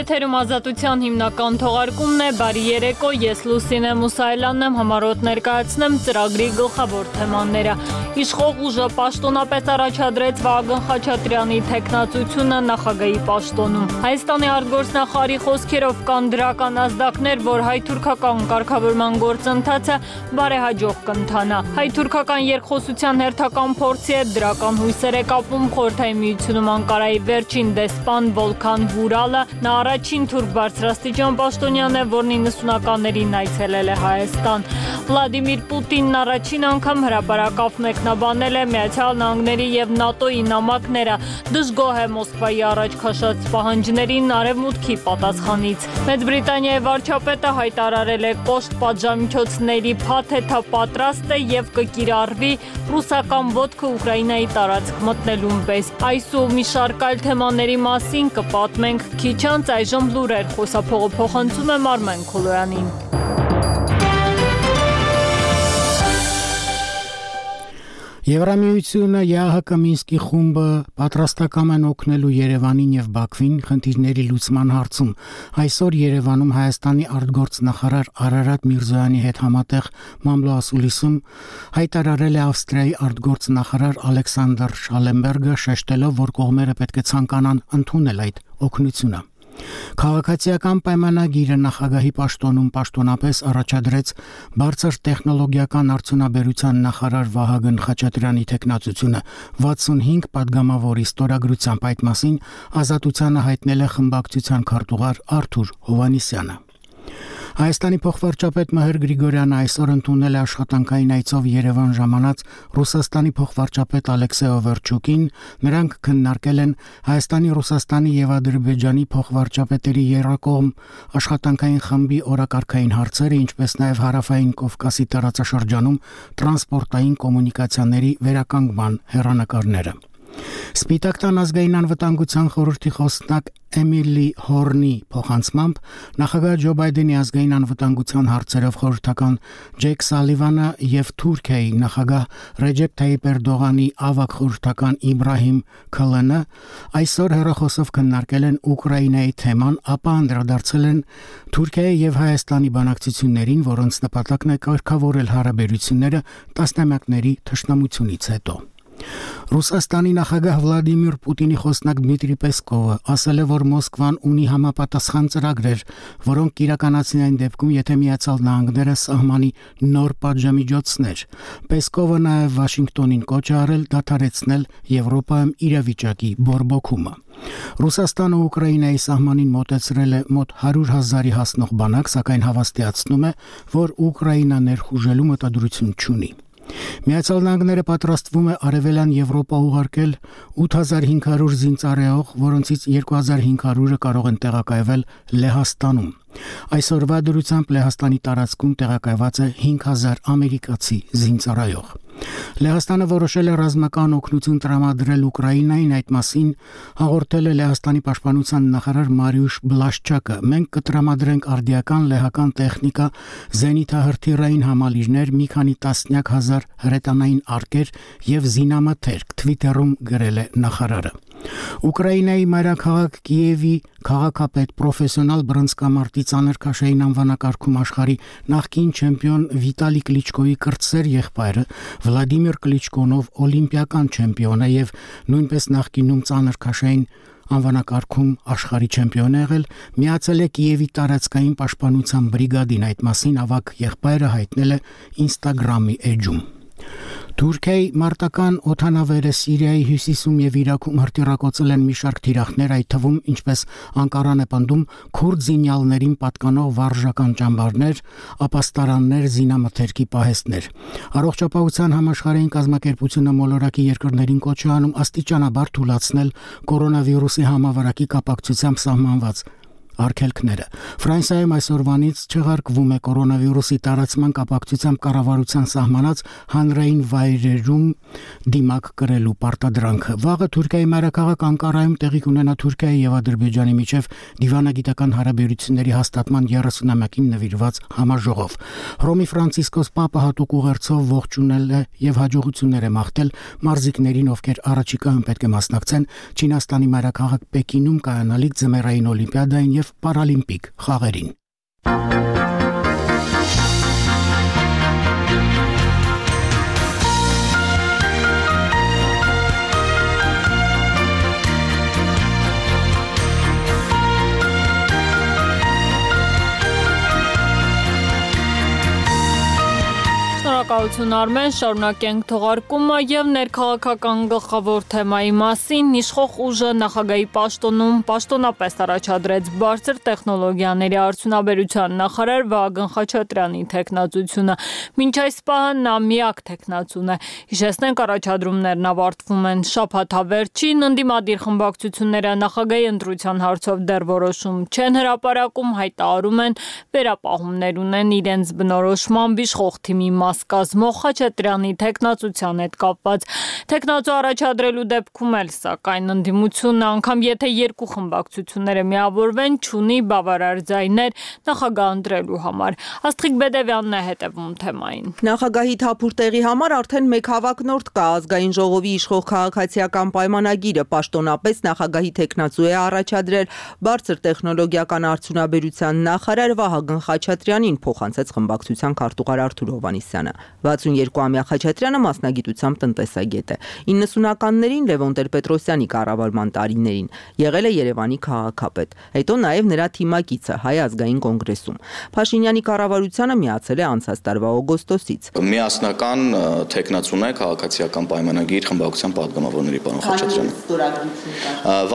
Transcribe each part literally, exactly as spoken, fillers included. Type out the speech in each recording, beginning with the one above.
Եթերում Ազատության հիմնական թողարկումն է, բարի երեկո, ես Լուսինե Մուսայելյանն եմ, համառոտ ներկայացնեմ ծրագրի գլխավոր թեմաները։ Իշխող ուժը պաշտոնապես առաջադրեց Վահագն Խաչատրյանի թեկնածությունը նախագահի պաշտոնում։ Հայաստանի արտգործնախարարի խոսքերով կան դրական ազդակներ, որ հայ-թուրքական կարգավորման գործընթացը բարեհաջող կընթանա։ Հայ-թուրքական երկխոսության հերթական փորձի հետ դրական հույսեր է կապում Խորհրդային Միությունում Անկարայի վերջին դեսպան Վոլքան Վուրալը։ Նա առաջին թուրք բարձրաստիճան պաշտոնյան է, որն իննսունականներին այցելել է Հայաստան։ Վլադիմիր Պուտինն առաջին անգամ հրապարակավ մեկնաբանել է Միացյալ Նահանգների եւ ՆԱՏՕ-ի նամակները, դժգոհ է Մոսկվայի առաջ քաշած պահանջներին Արևմուտքի պատասխանից։ Մեծ Բրիտանիայի վարչապետը հայտարարել է կոշտ պատժամիջոցների փաթեթը պատրաստ է եւ կկիրառվի ռուսական ոտքը Ուկրաինայի տարածք մտնելուն պես։ Այս ու մի շարք այլ թեմաների մասին կպատմենք քիչ անց, այժմ լուրեր, խոսափողը փոխանցում եմ Արմեն Քոլոյանին։ Եվրամիությունը, ԵԱՀԿ Մինսկի խումբը պատրաստակամ են օգնելու Երևանին եւ Բաքվին խնդիրների լուծման հարցում։ Այսօր Երևանում Հայաստանի արտգործնախարար Արարատ Միրզոյանի հետ համատեղ մամլոասուլիսում հայտարարել է Ավստրիայի արտգործնախարար Ալեքսանդր Շալենբերգը, շեշտելով, որ կողմերը պետք է ցանկանան ընդունել այդ օգնությունը։ Քաղաքացիական պայմանագիրը նախագահի պաշտոնում պաշտոնապես առաջադրեց բարձր տեխնոլոգիական արդյունաբերության նախարար Վահագն Խաչատրյանի թեկնածությունը վաթսունհինգ պատգամավորի ստորագրությամբ։ Այդ մասին Ազատությանը հայտնել է խմբակցության քարտուղար Արթուր Հովհաննիսյանը։ Հայաստանի փոխվարչապետ Մհեր Գրիգորյանը այսօր ընդունել է աշխատանքային այցով Երևան ժամանած Ռուսաստանի փոխվարչապետ Ալեքսեյ Օվերչուկին։ Նրանք քննարկել են Հայաստանի, Ռուսաստանի եւ Ադրբեջանի փոխվարչապետերի երկկողմ աշխատանքային խմբի օրակարգային հարցերը, ինչպես նաեւ Հարավային Կովկասի տարածաշրջանում տրանսպորտային կոմունիկացիաների վերականգնման հեռանկարները։ Սպիտակ տան ազգային անվտանգության խորհրդի խոսնակ Էմիլի Հորնի փոխանցմամբ նախագահ Ջո Բայդենի ազգային անվտանգության հարցերով խորհրդական Ջեք Սալիվանը եւ Թուրքիայի նախագահ Ռեջեփ Թայիպ Էրդողանի ավագ խորհրդական Իբրահիմ Քալանը այսօր հեռախոսով քննարկել են Ուկրաինայի թեման, ապա անդրադարձել են Թուրքիայի եւ Հայաստանի բանակցություններին, որոնց նպատակն է կարգավորել հարաբերությունները տասնամյակների թշնամությունից հետո։ Ռուսաստանի նախագահ Վլադիմիր Պուտինի խոսնակ Դմիտրի Պեսկովը ասել է, որ Մոսկվան ունի համապատասխան ծրագրեր, որոնք կիրականացնեն դեպքում, եթե Միացյալ Նահանգները սահմանի նոր պատժամիջոցներ։ Պեսկովը նաև Վաշինգտոնին կոչ է արել դադարեցնել Եվրոպայում իրավիճակի բորբոքումը։ Ռուսաստանը Ուկրաինայի սահմանին մոտեցրել է մոտ հարյուր հազարի հասնող բանակ, սակայն հավաստիացնում է, որ Ուկրաինա ներխուժելու մտադրություն չունի։ Միացյալ Նահանգները պատրաստվում է Արևելյան Եվրոպա ուղարկել ութ հազար հինգ հարյուր զինծառայող, որոնցից երկու հազար հինգ հարյուրը կարող են տեղակայվել Լեհաստանում։ Այսօրվա դրությամբ Լեհաստանի տարածքում տեղակայված է հինգ հազար ամերիկացի զինծառայող։ Լեհաստանը որոշել է ռազմական օգնություն տրամադրել Ուկրաինային, այդ մասին հաղորդել է Լեհաստանի պաշտպանության նախարար Մարիուշ Բլաշչակը։ Մենք կտրամադրենք արդիական լեհական տեխնիկա, զենիթահրթիռային համալիրներ, մի քանի տասնյակ հազար հրետանային արկեր եւ զինամթերք, Թվիտերում գրել է նախարարը։ Ուկրաինայի մայրաքաղաք Կիևի քաղաքապետ պրոֆեսիոնալ բռնցքամարտի ծանր քաշային անվանակարգում աշխարհի նախկին չեմպիոն Վիտալի Կլիչկոյի կրտսեր եղբայրը Վլադիմիր Կլիչկոնով օլիմպիական չեմպիոն է եւ նույնպես նախկինում ծանր քաշային անվանակարգում աշխարհի չեմպիոն է եղել, միացել է Կիևի տարածքային պաշտպանության բրիգադին։ Այդ մասին ավագ եղբայրը հայտնել է Instagram-ի էջում։ Թուրքիայի մարտական օդանավերը Սիրիայի հյուսիսում եւ Իրաքում հրթիռակոծել են մի շարք թիրախներ, այդ թվում, ինչպես Անկարան է պնդում, քուրդ զինյալներին պատկանող վարժական ճամբարներ, ապաստարաններ, զինամթերքի պահեստներ։ Առողջապահության համաշխարհային կազմակերպությունը մոլորակի երկրներին կոչ է անում աստիճանաբար թույլատրել կորոնավիրուսի համավարակի կապակցությամբ սահմանված արգելքները։ Ֆրանսիայում այսօրվանից չեղարկվում է կորոնավիրուսի տարածման կապակցությամբ կառավարության սահմանած հանրային վայրերում դիմակ կրելու պարտադրանքը։ Վաղը Թուրքիայի մայրաքաղաք Անկարայում տեղի կունենա Թուրքիայի եւ Ադրբեջանի միջև դիվանագիտական հարաբերությունների հաստատման երեսունամյակին նվիրված համաժողով։ Հռոմի Ֆրանցիսկոս Պապը հատուկ ուղերձով ողջունել է եւ հաջողություններ է մաղթել մարզիկներին, ովքեր առաջիկայում պետք է մասնակցեն Չինաստանի մայրաքաղաք Պեկինում կայանալիք ձմեռային օլիմպիադային եւ եւ պարալիմպիկ խաղերին։ Շնորհակալություն Արմեն, շարունակենք թողարկումը եւ ներքաղաքական գլխավոր թեմայի մասին իշխող ուժը նախագահի պաշտոնում պաշտոնապես առաջադրեց բարձր տեխնոլոգիաների արդյունաբերության նախարար Վահագն Խաչատրյանի թեկնածությունը։ Մինչ այս պահը նա միակ թեկնածուն է։ Հիշեցնենք, առաջադրումներն ավարտվում են շաբաթավերջին, ընդդիմադիր խմբակցությունները նախագահի ընտրության հարցով դեռ որոշում չեն հրապարակում, հայտարարում են վերապահումներ ունեն իրենց բնորոշմամբ իշխող թիմի մաս կազմող Խաչատրյանի թեկնածության հետ կապված։ Թեկնածու առաջադրելու դեպքում էլ, սակայն, ընդդիմությունը, անգամ եթե երկու խմբակցությունները միավորվեն, չունի բավարար ձայներ նախագահ ընտրելու համար։ Աստղիկ Բեդևյանն է հետևում թեմային։ Նախագահի թափուր տեղի համար արդեն մեկ հավակնորդ կա ազգային ժողովի իշխող քաղաքացիական պայմանագիրը, պաշտոնապես նախագահի թեկնածու է առաջադրել բարձր տեխնոլոգիական արդյունաբերության նախարար Վահագն Խաչատրյանին, փոխանցեց խմբակցության քարտուղար Արթուր Հովհաննիսյանը։ վաթսունյերկուամյա Խաչատրյանը մասնագիտությամբ տնտեսագետ է։ իննսունականներին Լևոն Տեր-Պետրոսյանի կառավարման տարիներին եղել է Երևանի քաղաքապետ, հետո նաև նրա թիմակիցը Հայ ազգային կոնգրեսում։ Փաշինյանի կառավարությանը միացել է անցած տարվա օգոստոսից։ Միասնական թեկնածուն է քաղաքացիական պայմանագիր խմբակցության պատգամավորների պարոն Խաչատրյանը։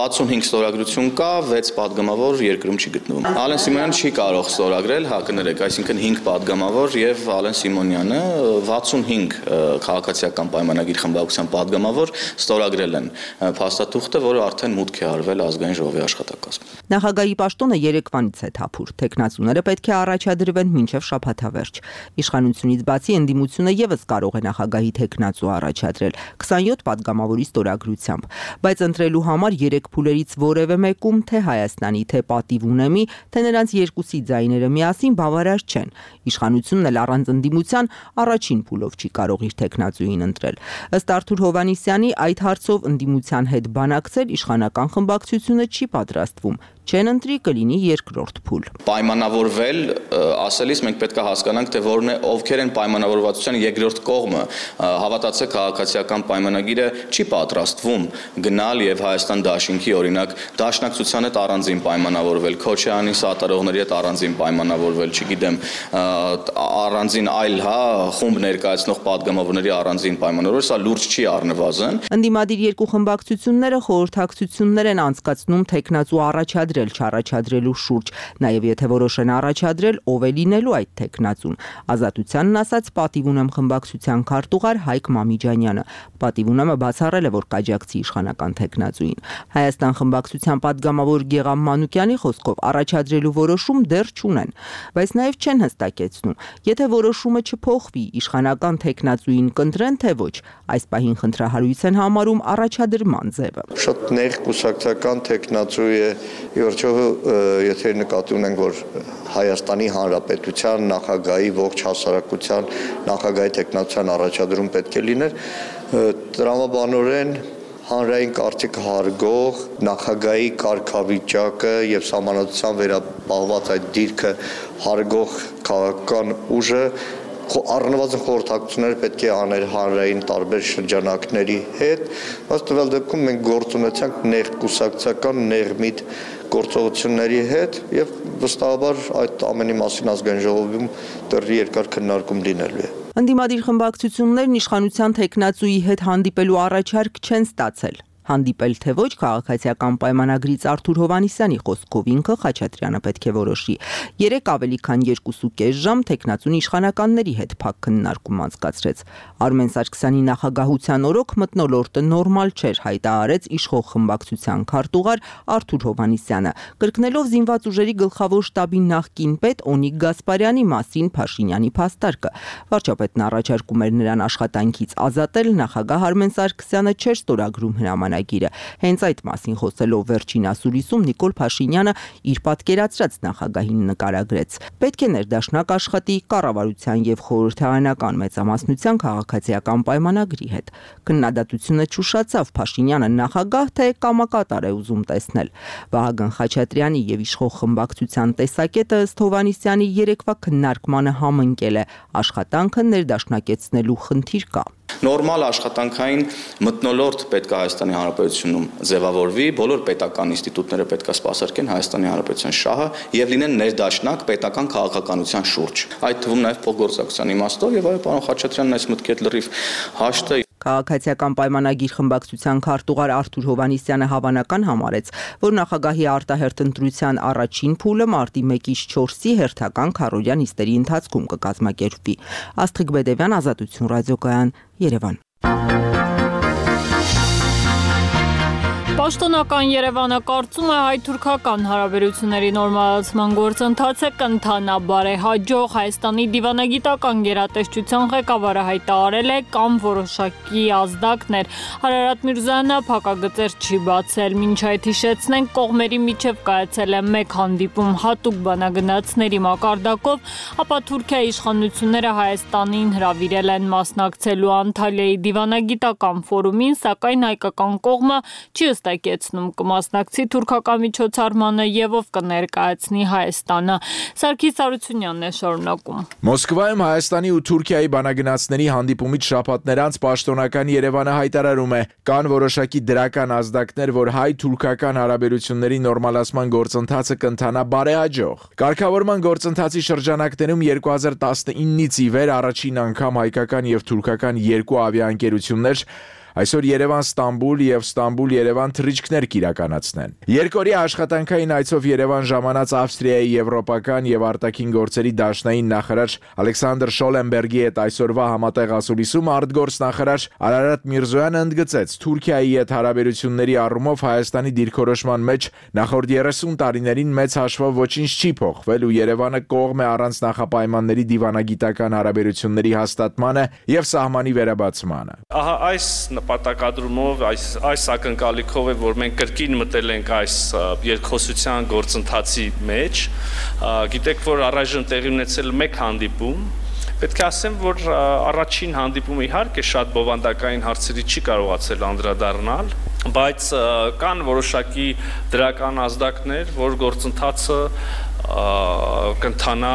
վաթսունհինգ ստորագրություն կա, վեց պատգամավոր երկրում չի գտնվում։ Ալեն Սիմոնյանը չի կարող ստորագրել, հա կներեք, այսինքն հինգ պատգամավոր եւ Ալեն Սիմոնյանը վաթսունհինգ քաղաքացիական պայմանագիր խմբակցության պատգամավոր ստորագրել են փաստաթուղթը, որը արդեն մուտք է արվել ազգային ժողովի աշխատակազմում։ Նախագահի պաշտոնը երեկվանից է թափուր։ Թեկնածուները պետք է առաջադրվեն մինչև շաբաթավերջ։ Իշխանությունից բացի ընդդիմությունը եւս կարող է նախագահի թեկնածու առաջադրել քսանյոթ պատգամավորի ստորագրությամբ, բայց ընտրելու համար երեք փուլերից որևէ մեկում թե Հայաստանի, թե Պատիվ ունեմի, թե նրանց երկուսի ձայները միասին բավարար չեն։ Իշխանությունն էլ առանց ընդդիմության առաջին փուլով չի կարող իր թեկնածուին ընտրել։ Ըստ Արթուր Հովհաննիսյանի, այդ հարցով ընդդիմության հետ բանակցել իշխանական խմբակցությունը չի պատրաստվում։ Չեն ընտրի կլինի երկրորդ փուլ։ Պայմանավորվել ասելիս մենք պետք է հասկանանք, թե որն է ովքեր են պայմանավորվածության երկրորդ կողմը։ Հավատացեք, քաղաքացիական պայմանագիրը չի պատրաստվում գնալ եւ Հայաստան դաշինքի օրինակ դաշնակցության հետ առանձին պայմանավորվել, Քոչարյանի սատարողների հետ առանձին պայմանավորվել, չգիտեմ, առանձին այլ, հա, խումբ ներկայացնող պատգամավորների առանձին պայմանավորվել, սա լուրջ չի առնվազն։ Ընդդիմադիր երկու խմբակցությունները խորհրդակցություններ են անցկացնում թեկնածու առաջադրել չառաջադրելու շուրջ, նաև եթե որոշեն առաջադրել, ով է լինելու այդ թեկնածուն։ Ազատությանն ասաց Պատիվ ունեմ խմբակցության քարտուղար Հայկ Մամիջանյանը։ Պատիվ ունեմը բացառել է, որ կաջակցի իշխանական թեկնածուին։ Հայաստան խմբակցության պատգամավոր Գեգամ Մանուկյանի խոսքով առաջադրելու որոշում դեռ չունեն, բայց նաև չեն հստակեցնում, եթե որոշումը չփոխվի, իշխանական թեկնածուին կընտրեն, թե ոչ, այս պահին խնդրահարույց են համարում առաջադրման ձևը։ Շատ նեղ կուսակցական թեկնածու է, Իորչո, եթե նկատի ունենք, որ Հայաստանի Հանրապետության նախագահի ողջ հասարակության նախագահի թեկնածության առաջադրում պետք է լիներ, տրամաբանորեն հանրային կարծիքը հարգող նախագահի կարգավիճակը եւ սահմանադրության վերապահված այդ դիրքը հարգող քաղաքական ուժը առնվազն խորհրդակցությունները պետք է աներ հանրային տարբեր շրջանակների հետ, բայց տվյալ դեպքում մենք գործ ունեցանք նեղ կուսակցական ներմիտ գործողությունների հետ եւ վստահաբար այդ ամենի մասին ազգային ժողովում դեռ երկար քննարկում լինելու է։ Ընդդիմադիր խմբակցություններն իշխանության թեկնածուի հետ հանդիպելու առաջարկ չեն ստացել։ Հանդիպել թե ոչ քաղաքացիական պայմանագրից Արթուր Հովհաննիսյանի խոսքով ինքը Խաչատրյանը պետք է որոշի։ Երեք ավելի քան երկուսուկես ժամ թեկնածուն իշխանականների հետ փակ քննարկում անցկացրեց։ Արմեն Սարգսյանի նախագահության օրոք մթնոլորտը նորմալ չէր, հայտարարեց իշխող խմբակցության քարտուղար Արթուր Հովհաննիսյանը, կրկնելով զինված ուժերի գլխավոր շտաբի նախկին պետ Օնիկ Գասպարյանի մասին Փաշինյանի փաստարկը։ Վարչապետն առաջարկում էր նրան աշխատանքից ազատել, նախագահ Արմեն Սարգսյանը չէր ստորագրում հրաման պայմանագիրը։ Հենց այդ մասին խոսելով վերջին ասուլիսում Նիկոլ Փաշինյանը իր պատկերացրած նախագահին նկարագրեց. պետք է ներդաշնակ աշխատի կառավարության եւ խորհրդարանական մեծամասնության քաղաքացիական պայմանագրի հետ։ Քննադատությունը չուշացավ, Փաշինյանը նախագահ թե կամակատար է ուզում տեսնել։ Վահագն Խաչատրյանի եւ իշխող խմբակցության տեսակետը ըստ Հովհաննիսյանի երեկվա քննարկմանը համընկել է, աշխատանքը ներդաշնակեցնելու խնդիր կա։ Նորմալ աշխատանքային մթնոլորտ պետք է Հայաստանի Հանրապետությունում ձևավորվի, բոլոր պետական ինստիտուտները պետք է սպասարկեն Հայաստանի Հանրապետության շահը եւ լինեն ներդաշնակ պետական քաղաքականության շուրջ։ Այդ թվում նաեւ փոխգործակցության իմաստով եւ այո, պարոն Խաչատրյանն այս մտքի հետ լրիվ հաշտ է։ Քաղաքացիական պայմանագիր խմբակցության քարտուղար Արթուր Հովհաննիսյանը հավանական համարեց, որ նախագահի արտահերթ ընտրության առաջին փուլը մարտի մեկից չորսի հերթական քառօրյա նիստերի ընթացքում կկազմակերպվի։ Աստղիկ Բեդևյան, Ազատություն ռադիոկայան, Երևան։ Պաշտոնական Երևանը կարծում է հայ-թուրքական հարաբերությունների նորմալացման գործընթացը կընթանա բարեհաջող։ Հայաստանի դիվանագիտական գերատեսչության ղեկավարը հայտարարել է կամ որոշակի ազդակներ։ Արարատ Միրզոյանը փակագծեր չի բացել։ Մինչ այդ հիշեցնենք, կողմերի միջև կայացել է մեկ հանդիպում հատուկ բանագնացների մակարդակով, ապա Թուրքիայի իշխանությունները Հայաստանին հրավիրել են մասնակցելու Անտալիայի դիվանագիտական ֆորումին, սակայն հայկական կողմը չի ըստակեցնում կմասնակցի թուրքական միջոցառմանը եւ ով կներկայացնի Հայաստանը։ Սարգիս Արությունյանն է շարունակում։ Մոսկվայում Հայաստանի ու Թուրքիայի բանագնացների հանդիպումից շաբաթներ անց պաշտոնական Երևանը հայտարարում է, կան որոշակի դրական ազդակներ, որ հայ-թուրքական հարաբերությունների նորմալացման գործընթացը կընթանա բարեհաջող։ Կարգավորման գործընթացի շրջանակներում երկու հազար տասնինից ի վեր առաջին անգամ հայկական եւ թուրքական երկու ավիաընկերություններ այսօր Երևան-Ստամբուլ եւ Ստամբուլ-Երևան թռիչքներ կիրականացնեն։ Երկօրյա աշխատանքային այցով Երևան ժամանած Ավստրիայի եվրոպական եւ արտաքին գործերի դաշնային նախարար Ալեքսանդր Շոլենբերգի հետ այսօրվա համատեղ ասուլիսում արտգործնախարար Արարատ Միրզոյանը ընդգծեց Թուրքիայի հետ հարաբերությունների առումով Հայաստանի դիրքորոշման մեջ նախորդ երեսուն տարիներին մեծ հաշվով ոչինչ չի փոխվել ու Երևանը կողմ է առանց նախապայմանների դիվանագիտական հարաբերությունների հաստատմանը եւ սահմանի վերաբացմանը։ Ահա այս նպատակադրումով այս այս ակնկալիքով է, որ մենք կրկին մտել ենք այս երկխոսության գործընթացի մեջ։ Գիտեք, որ առայժմ տեղի ունեցել մեկ հանդիպում։ Պետք է ասեմ, որ առաջին հանդիպումը իհարկե շատ բովանդակային հարցերի չի կարողացել անդրադառնալ, բայց կան որոշակի դրական ազդակներ, որ գործընթացը կընթանա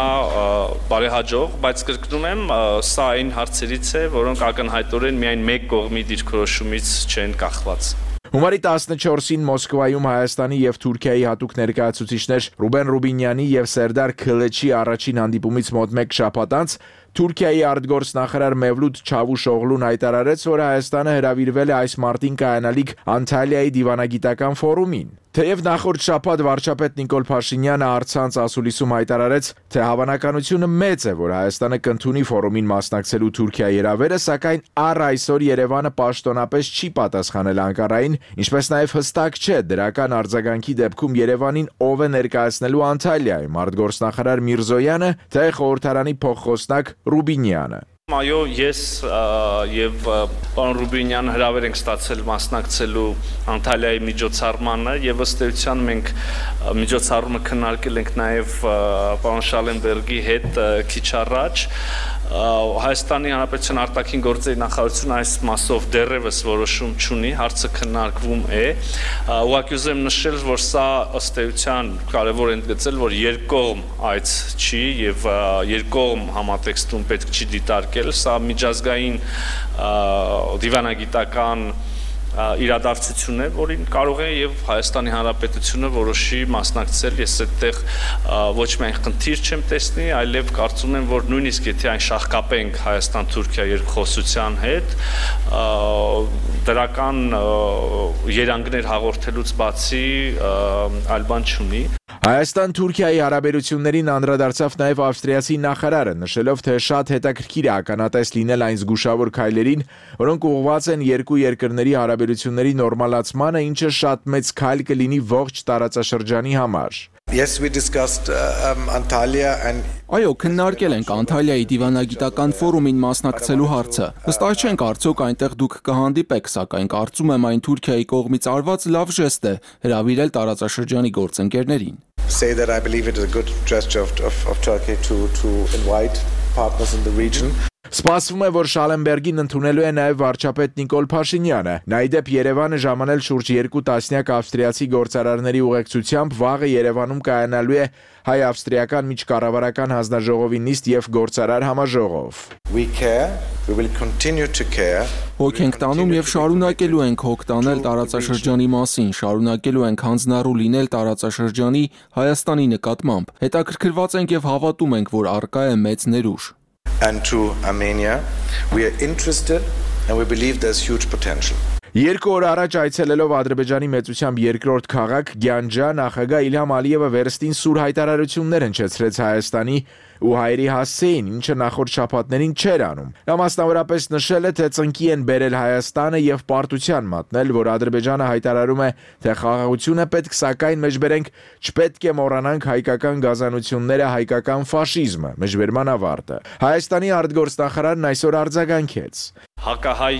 բարեհաջող, բայց կրկնում եմ, սա այն հարցերից է, որոնք ակնհայտորեն միայն մեկ կողմի դիրքորոշումից չեն կախված։ Հունվարի տասնչորսին Մոսկվայում Հայաստանի եւ Թուրքիայի հատուկ ներկայացուցիչներ Ռուբեն Ռուբինյանի եւ Սերդար Քլեչի առաջին հանդիպումից մոտ մեկ շաբաթ անց Թուրքիայի արտգործնախարար Մևլութ Չավուշօղլուն հայտարարեց, որ Հայաստանը հրավիրվել է այս մարտին կայանալիք Անտալիայի դիվանագիտական ֆորումին։ Թեև նախորդ շաբաթ վարչապետ Նիկոլ Փաշինյանը առցանց ասուլիսում հայտարարեց, թե հավանականությունը մեծ է, որ Հայաստանը կընդունի ֆորումին մասնակցելու Թուրքիայի հրավերը, սակայն առ այսօր Երևանը պաշտոնապես չի պատասխանել Անկարային, ինչպես նաև հստակ չէ դրական արձագանքի դեպքում Երևանին ով է ներկայացնելու Անտալիայում՝ արտգործնախարար Միրզոյանը, թե խորհրդարանի փոխխոսնակ Ռուբինյանը։ Այո, ես եւ պարոն Ռուբինյանը հրավեր ենք ստացել մասնակցելու Անտալիայի միջոցառմանը եւ ըստ էության մենք միջոցառումը քննարկել ենք նաեւ պարոն Շալենբերգի հետ քիչ առաջ։ Հայաստանի Հանրապետության արտաքին գործերի նախարարությունը այս մասով դեռևս որոշում չունի, հարցը քննարկվում է։ Ուղղակի ուզեմ նշել, որ սա ըստ էության կարևոր է ընդգծել, որ երկկողմ այց չի եւ երկկողմ համատեքստում պետք չի դիտարկել, սա միջազգային դիվանագիտական իրադարձություն է, որին կարող է եւ Հայաստանի Հանրապետությունը որոշի մասնակցել։ Ես այդտեղ ոչ միայն խնդիր չեմ տեսնի, այլև կարծում եմ, որ նույնիսկ եթե այն շահկապենք Հայաստան-Թուրքիա երկխոսության հետ, դրական երանգներ հաղորդելուց բացի այլ բան չունի։ Հայաստան-Թուրքիայի հարաբերություններին անդրադարձավ նաև ավստրիացի նախարարը, նշելով, թե շատ հետաքրքիր է ականատես լինել այն զգուշավոր քայլերին, որոնք ուղղված են երկու երկրների հարաբերությունների նորմալացմանը, ինչը շատ մեծ քայլ կլինի ողջ տարածաշրջանի համար։ Yes, we discussed uh, um, Antalya and Այո, քննարկել ենք Անտալիայի դիվանագիտական ֆորումին մասնակցելու հարցը։ Վստահ չենք արդյոք այնտեղ դուք կհանդիպեք, սակայն կարծում եմ այն Թուրքիայի կողմից արված լավ ժեստ է հրավիրել տարածաշրջանի գործընկերներին։ Say that I believe it is a good gesture of, of, of Turkey to, to invite partners in the region. Սպասվում է, որ Շալենբերգին ընդունելու է նաև վարչապետ Նիկոլ Փաշինյանը։ Նա ի դեպ Երևանը ժամանել շուրջ երկու տասնյակ ավստրիացի գործարարների ուղեկցությամբ վաղը Երևանում կայանալու է հայ-ավստրիական միջկառավարական հանձնաժողովի նիստ եւ գործարար համաժողով։ We care, we will continue to care. Հոգ ենք տանում եւ շարունակելու ենք հոգ տանել տարածաշրջանի մասին, շարունակելու ենք հանձնառու լինել տարածաշրջանի Հայաստանի նկատմամբ։ Հետաքրքրված ենք եւ հավատում ենք, որ առկա է մեծ ներուժ։ And to Armenia, we are interested and we believe there's huge potential. Երկու օր առաջ այցելելով Ադրբեջանի մեծությամբ երկրորդ քաղաք Գյանջա, նախագահ Իլհամ Ալիևը վերստին սուր հայտարարություններ հնչեցրեց Հայաստանի ու հայերի հասցեին, ինչը նախորդ շաբաթներին չէր անում։ Նա մասնավորապես նշել է, թե ծնկի են բերել Հայաստանը եւ պարտության մատնել, որ Ադրբեջանը հայտարարում է, թե խաղաղությունը պետք, սակայն մեջբերենք չպետք է մոռանանք հայկական գազանությունները, հայկական ֆաշիզմը, մեջբերման ավարտը։ Հայաստանի արտգործնախարարն այսօր արձագանքեց. Հակահայ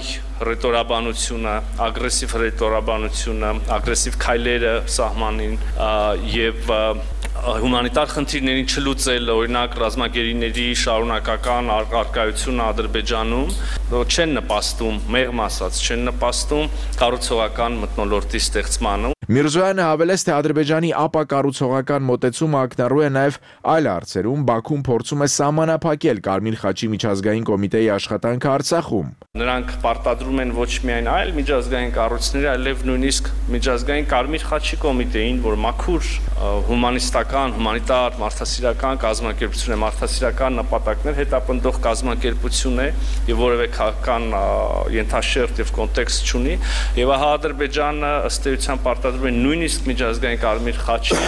ռետորաբանությունը, ագրեսիվ ռետորաբանությունը, ագրեսիվ քայլերը սահմանին եւ հումանիտար խնդիրներին չլուծել, օրինակ ռազմագերիների շարունակական արկայությունը Ադրբեջանում չեն նպաստում, մեղմ ասած, չեն նպաստում կառուցողական մթնոլորտի ստեղծմանը։ Միրզոյանը հավելեց, թե Ադրբեջանի ապակառուցողական մոտեցումը ակնառու է նաև այլ հարցերում, Բաքուն փորձում է սահմանափակել Կարմիր խաչի միջազգային կոմիտեի աշխատանքը Արցախում։ Նրանք պարտադրում են ոչ միայն այլ միջազգային կառույցների, այլև նույնիսկ միջազգային Կարմիր խաչի կոմիտեին, որ մաքուր հումանիստական, հումանիտար, մարդասիրական կազմակերպություն է, մարդասիրական նպատակներ հետապնդող կազմակերպություն է եւ որևէ քաղաքական ենթաշերտ եւ կոնտեքստ չունի, եւ ահա Ադրբեջանը ըստ էության պարտադրում է նույնիսկ միջազգային Կարմիր խաչին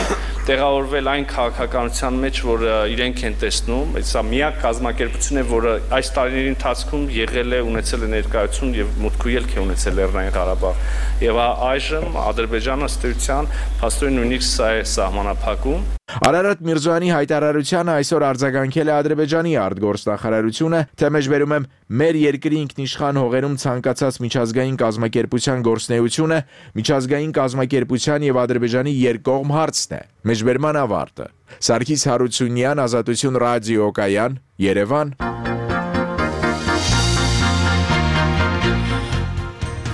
տեղավորվել այն քաղաքականության մեջ, որ իրենք են տեսնում, սա միակ կազմակերպություն է, որը այս տարիների ընթացքում եղել է, ունեցել է ներկայություն եւ մուտք ու ելք է ունեցել Լեռնային Ղարաբաղ։ Եվ այժմ Ադրբեջանը ըստ էության փաստորեն նույնիսկ սա է սահմանափակում։ Արարատ Միրզոյանի հայտարարությանը այսօր արձագանքել է Ադրբեջանի արտգործնախարարությունը, թե մեջբերում եմ մեր երկրի ինքնիշխան հողերում ցանկացած միջազգային կազմակերպության գործունեությունը միջազգային կազմակերպության եւ Ադրբեջանի երկկողմ հարցն է։ Մեջբերման ավարտը։ Սարգիս Հարությունյան, Ազատություն ռադիոկայան, Երևան։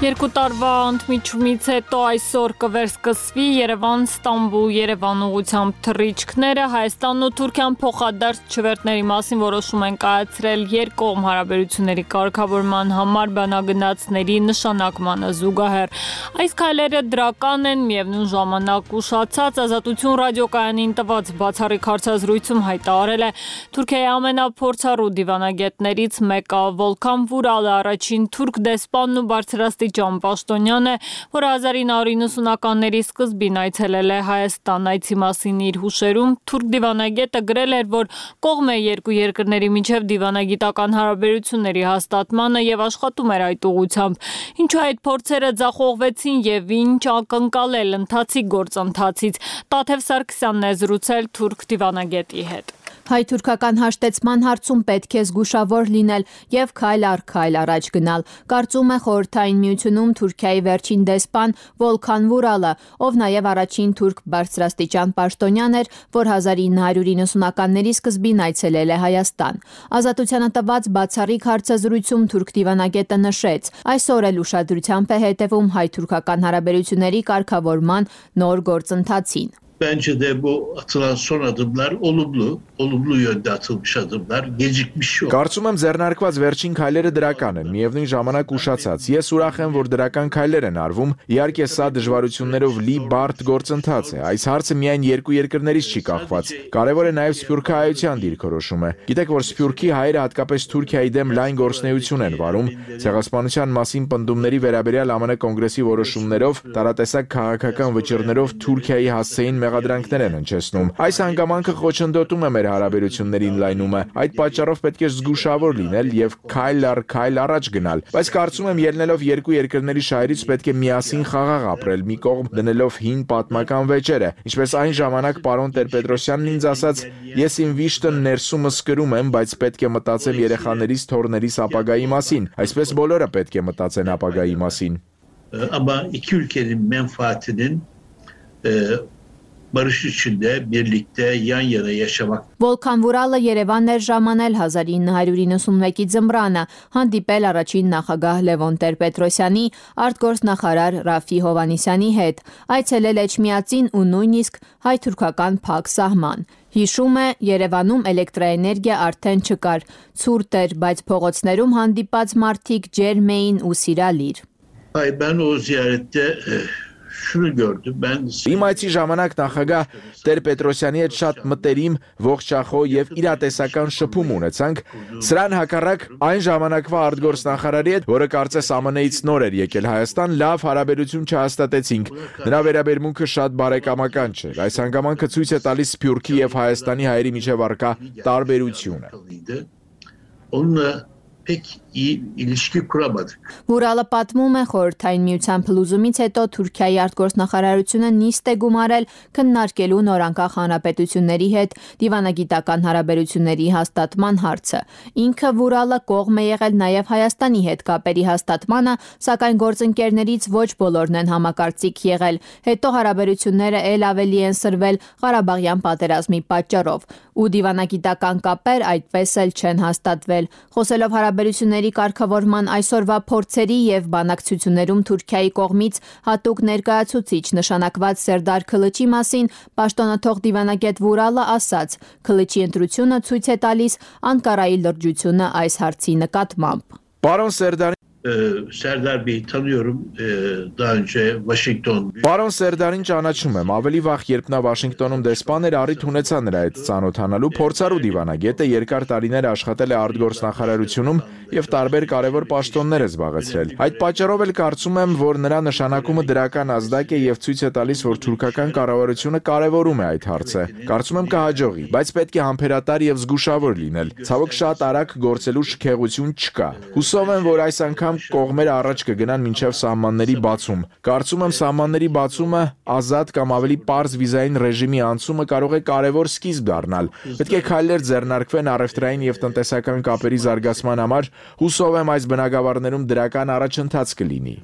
Երկու տարվա ընդմիջումից հետո այսօր կվերսկսվի Երևան-Ստամբուլ Երևան ուղղությամբ թռիչքները։ Հայաստանն ու Թուրքիան փոխադարձ չվերթների մասին որոշում են կայացրել երկկողմ հարաբերությունների կարգավորման համար բանագնացների նշանակմանը զուգահեռ։ Այս քայլերը դրական են, միևնույն ժամանակ ուշացած Ազատություն ռադիոկայանին տված բացառիկ հարցազրույցում հայտարարել է Թուրքիայի ամենափորձառու դիվանագետներից մեկը Վոլքան Վուրալը, առաջին թուրք դեսպանն ու բարձրաստիճան Պաշտոնյան է, որ հազար ինը հարյուր իննսունականների սկզբին այցելել է Հայաստան։ Այցի մասին իր հուշերում թուրք դիվանագետը գրել էր, որ կողմ է երկու երկրների միջև դիվանագիտական հարաբերությունների հաստատմանը եւ աշխատում էր այդ ուղղությամբ։ Ինչու այդ փորձերը ձախողվեցին եւ ինչ ակնկալել ընթացիկ գործընթացից։ Տաթև Սարգսյանն է զրուցել թուրք դիվանագետի հետ։ Հայ-թուրքական հաշտեցման հարցում պետք է զգուշավոր լինել եւ քայլ առ քայլ առաջ գնալ, կարծում է Խորհրդային Միությունում Թուրքիայի վերջին դեսպան Վոլքան Վուրալը, ով նաեւ առաջին թուրք բարձրաստիճան պաշտոնյան էր, որ հազար ինը հարյուր իննսունականների սկզբին այցելել է Հայաստան։ Ազատությանը տված բացառիկ հարցազրույցում թուրք դիվանագետը նշեց. այսօր էլ ուշադրությամբ է հետևում հայ-թուրքական հարաբերությունների կարգավորման նոր գործընթացին։ Bence de bu atılan son adımlar olumlu, olumlu yönde atılmış adımlar, gecikmiş yok. Կարծում եմ ձեռնարկված վերջին քայլերը դրական են, միևնույն ժամանակ ուշացած։ Ես ուրախ եմ, որ դրական քայլեր են արվում։ Իհարկե, սա դժվարություններով լի բարդ գործընթաց է։ Այս հարցը միայն երկու երկրներից չի կախված։ Կարևոր է նաև սփյուռքահայության դիրքորոշումը։ Գիտեք, որ սփյուռքի հայերը հատկապես Թուրքիայի դեմ լայն գործունեություն են վարում։ Ցեղասպանության մասին պնդումների վերաբերյալ ԱՄՆ կոնգրեսի որոշումներով, տարատեսակ քաղաքական վճիռներով Թուրքիայի հասցեին մեղադրանքներ են հնչեցնում։ Այս հանգամանքը խոչընդոտում է մեր հարաբերությունների ընդլայնումը։ Այդ պատճառով պետք է զգուշավոր լինել եւ քայլ առ քայլ առաջ գնալ, բայց կարծում եմ ելնելով երկու երկրների շահերից պետք է միասին խաղաղ ապրել, մի կողմ դնելով հին պատմական վեճերը։ Ինչպես այն ժամանակ պարոն Տեր-Պետրոսյանն ինձ ասաց, ես իմ վիշտը ներսումս կրում եմ, բայց պետք է մտածեմ երեխաներիս, թոռներիս ապագայի մասին։ Այսպես բոլորը պետք է մտածեն ապագայի մասին։ Ama iki ülkenin menfaatinin e, barış içinde birlikte yan yana yaşamak. Volkan Vuralը Երևան էր ժամանել հազար ինը հարյուր իննսունմեկի ձմռանը, հանդիպել առաջին նախագահ Լևոն Տեր-Պետրոսյանի, արտգործնախարար Ռաֆի Հովհաննիսյանի հետ, այցելել Էջմիածին ու նույնիսկ հայ-թուրքական փակ սահման։ Հիշում է, Երևանում էլեկտրաէներգիա արդեն չկար, ցուրտ էր, բայց փողոցներում հանդիպած մարդիկ ջերմ էին ու սիրալիր։ Ay ben o ziyarette şunu gördüm. Ben Իմ այցի ժամանակ նախագահ Տեր-Պետրոսյանի հետ շատ մտերիմ, ողջախոհ եւ իրատեսական շփում ունեցանք։ Սրան հակառակ այն ժամանակվա արտգործնախարարի հետ, որը կարծես ԱՄՆ-ից նոր էր եկել Հայաստան, լավ հարաբերություն չհաստատեցինք։ Նրա վերաբերմունքը շատ բարեկամական չէր։ Այս հանգամանքը ցույց է տալիս Սփյուռքի եւ Հայաստանի հայերի միջև առկա տարբերությունը։ Onunla pek iyi ilişki kuramadık. Vuralը պատմում է խորհրդային միության փլուզումից հետո Թուրքիայի արտգործնախարարությունը նիստ է գումարել քննարկելու նորանկախ հանրապետությունների հետ դիվանագիտական հարաբերությունների հաստատման հարցը։ Ինքը Վուրալը կողմ է եղել նաև Հայաստանի հետ կապերի հաստատմանը, սակայն գործընկերներից ոչ բոլորն են համակարծիք եղել։ Հետո հարաբերությունները ել ավելի են սրվել Ղարաբաղյան պատերազմի պատճառով, ու դիվանագիտական կապեր այդպես էլ չեն հաստատվել։ Խոսելով հարաբերությունների կարգավորման այսօրվա փորձերի եւ բանակցություններում Թուրքիայի կողմից հատուկ ներկայացուցիչ նշանակված Սերդար Քլիչի մասին պաշտոնաթող դիվանագետ Վուրալը ասաց. Քլիչի ընտրությունը ցույց է տալիս Անկարայի լրջությունը այս հարցի նկատմամբ։ Պարոն Սերդարի Serdar Bey'i tanıyorum. Daha önce Washington. Պարոն Սերդարին ճանաչում եմ, ավելի վաղ երբ նա Վաշինգտոնում դեսպան էր, առիթ ունեցա նրա հետ ծանոթանալու, փորձառու դիվանագետ է, երկար տարիներ աշխատել է արտգործնախարարությունում եւ տարբեր կարևոր պաշտոններ է զբաղեցրել։ Այդ պատճառով էլ կարծում եմ, որ նրա նշանակումը դրական ազդակ է եւ ցույց է տալիս, որ թուրքական կառավարությունը կարևորում է այդ հարցը։ Կարծում եմ կհաջողի, բայց պետք է համբերատար եւ զգուշավոր լինել։ Ցավոք շատ արագ գործելու շքեղություն չկա։ Հուսով եմ, որ այս անգամ կողմերը առաջ կգնան մինչև սահմանների բացում։ Կարծում եմ սահմանների բացումը ազատ կամ ավելի պարզ վիզային ռեժիմի անցումը կարող է կարևոր սկիզբ դառնալ։ Պետք է քայլեր ձեռնարկվեն առևտրային եւ տնտեսական կապերի զարգացման համար։ Հուսով եմ այս բնագավառներում դրական առաջընթաց կլինի։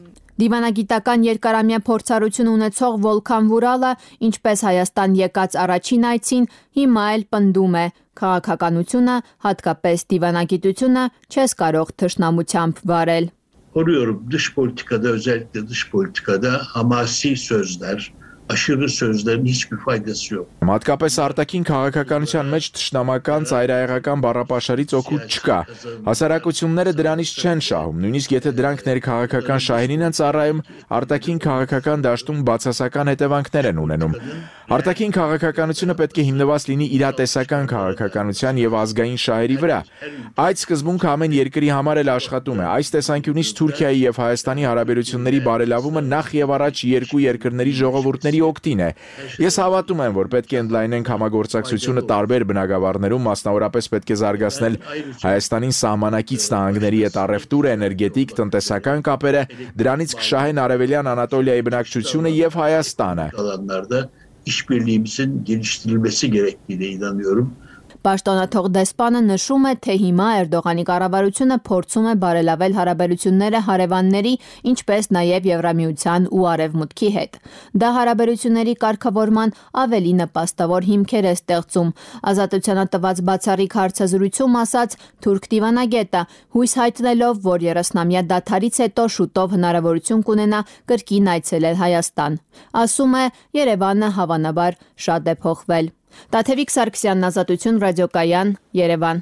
Դիվանագիտական երկարամյա փորձառություն ունեցող Վոլքան Վուրալը, ինչպես Հայաստան եկած առաջին այցին, հիմա էլ պնդում է. քաղաքականությունը, hատկապես դիվանագիտությունը, չես կարող թշնամությամբ վարել։ Koruyorum dış politikada, özellikle dış politikada hamasi sözler, aşırı sözlerin hiçbir faydası yok. Հատկապես արտաքին քաղաքականության մեջ թշնամական ծայրահեղական բառապաշարից օգուտ չկա։ Հասարակությունները դրանից չեն շահում, նույնիսկ եթե դրանք ներքաղաքական շահերին են ծառայում, արտաքին քաղաքական դաշտում բացասական հետևանքներ են ունենում։ Արտաքին քաղաքականությունը պետք է հիմնված լինի իրատեսական քաղաքականության եւ ազգային շահերի վրա։ Այդ սկզբունքը ամեն երկրի համար էլ աշխատում է։ Այս տեսանկյունից Թուրքիայի եւ Հայաստանի հարաբերությունների բարելավումը նախ եւ առաջ երկու երկրների ժողովուրդների օգտին է։ Ես հավատում եմ, որ պետք է ընդլայնենք համագործակցությունը տարբեր բնագավառներում, մասնավորապես պետք է զարգացնել Հայաստանին սահմանակից նահանգների հետ առևտուրը, էներգետիկ, տնտեսական կապերը, դրանից կշահեն Արևելյան Անատոլիայի բնակչությունը եւ Հայաստանը։ İşbirliğimizin geliştirilmesi gerektiğine inanıyorum. Պաշտոնաթող դեսպանը նշում է, թե հիմա Էրդողանի կառավարությունը փորձում է բարելավել հարաբերությունները հարևանների, ինչպես նաև Եվրամիության ու Արևմուտքի հետ։ Դա հարաբերությունների կարգավորման ավելի նպաստավոր հիմքեր է ստեղծում։ Ազատությանը տված բացառիկ հարցազրույցում ասաց թուրք դիվանագետը, հույս հայտնելով, որ երեսնամյա դադարից հետո շուտով հնարավորություն կունենա կրկին այցելել Հայաստան։ Ասում է, Երևանը հավանաբար շատ է փոխվել։ Տաթևիկ Սարգսյանն, Ազատություն, ռադիոկայան, Երևան։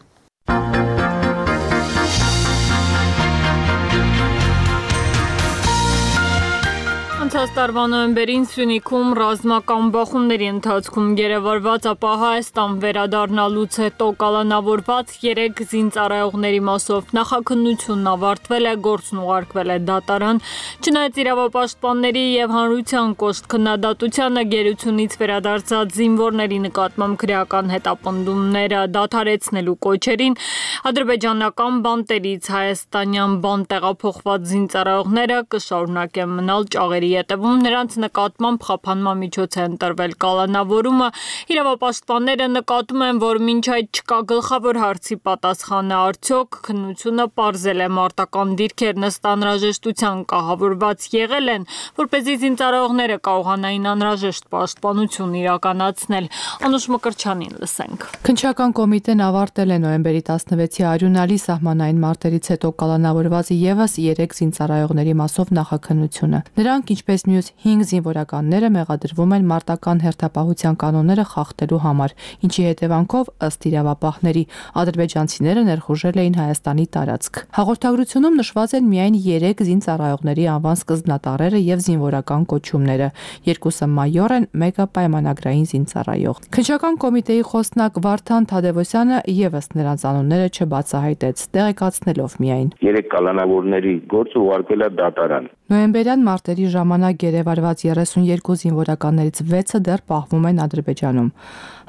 Անցած տարվա նոյեմբերին Սյունիքում ռազմական բախումների ընթացքում գերեվարված, ապա Հայաստան վերադառնալուց հետո կալանավորված երեք զինծառայողների մասով նախաքննությունն ավարտվել է, գործն ուղարկվել է դատարան։ Չնայած իրավապաշտպանների եւ հանրության կոշտ քննադատությանը, գերությունից վերադարձած զինվորների նկատմամբ քրեական հետապնդումները դադարեցնելու կոչերին, ադրբեջանական բանտերից հայաստանյան բան տեղափոխված զինծառայողները կշարունակեն մնալ ճաղերի ետևում, նրանց նկատմամբ խափանման միջոց է ընտրվել կալանավորումը։ Իրավապաշտպանները նկատում են, որ մինչ այդ չկա գլխավոր հարցի պատասխանը, արդյոք քննությունը պարզել է մարտական դիրքերն ըստ անհրաժեշտության կահավորված եղել են, որպեսզի զինծառայողները կարողանային անհրաժեշտ պաշտպանություն իրականացնել։ Անուշ Մկրտչյանին լսենք։ Քննչական կոմիտեն ավարտել է նոյեմբերի տասնվեցի արյունալի սահմանային մարտերից հետո կալանավորված եւս երեք զինծառայողների մասով նախաքննությունը։ Նրանք, ինչպես մյուս հինգ զինվորականները, մեղադրվում են մարտական հերթապահության կանոնները խախտելու համար, ինչի հետևանքով, ըստ իրավապահների, ադրբեջանցիները ներխուժել էին Հայաստանի տարածք։ Հաղորդագրությունում նշված են միայն երեք զինծառայողների անվան սկզբնատառերը եւ զինվորական կոչումները։ Երկուսը մայոր են, մեկը պայմանագրային զինծառայող։ Քննչական կոմիտեի խոսնակ Վարդան Թադևոսյանը եւս նրանց անունները չբացահայտեց, տեղեկացնելով միայն. Երեք կալանավորների գործը ուղարկվել է դատարան։ Նոյեմբերյան մարտերի ժամանակ գերեվարված երեսունյերկու զինվորականներից վեցը դեռ պահվում են Ադրբեջանում։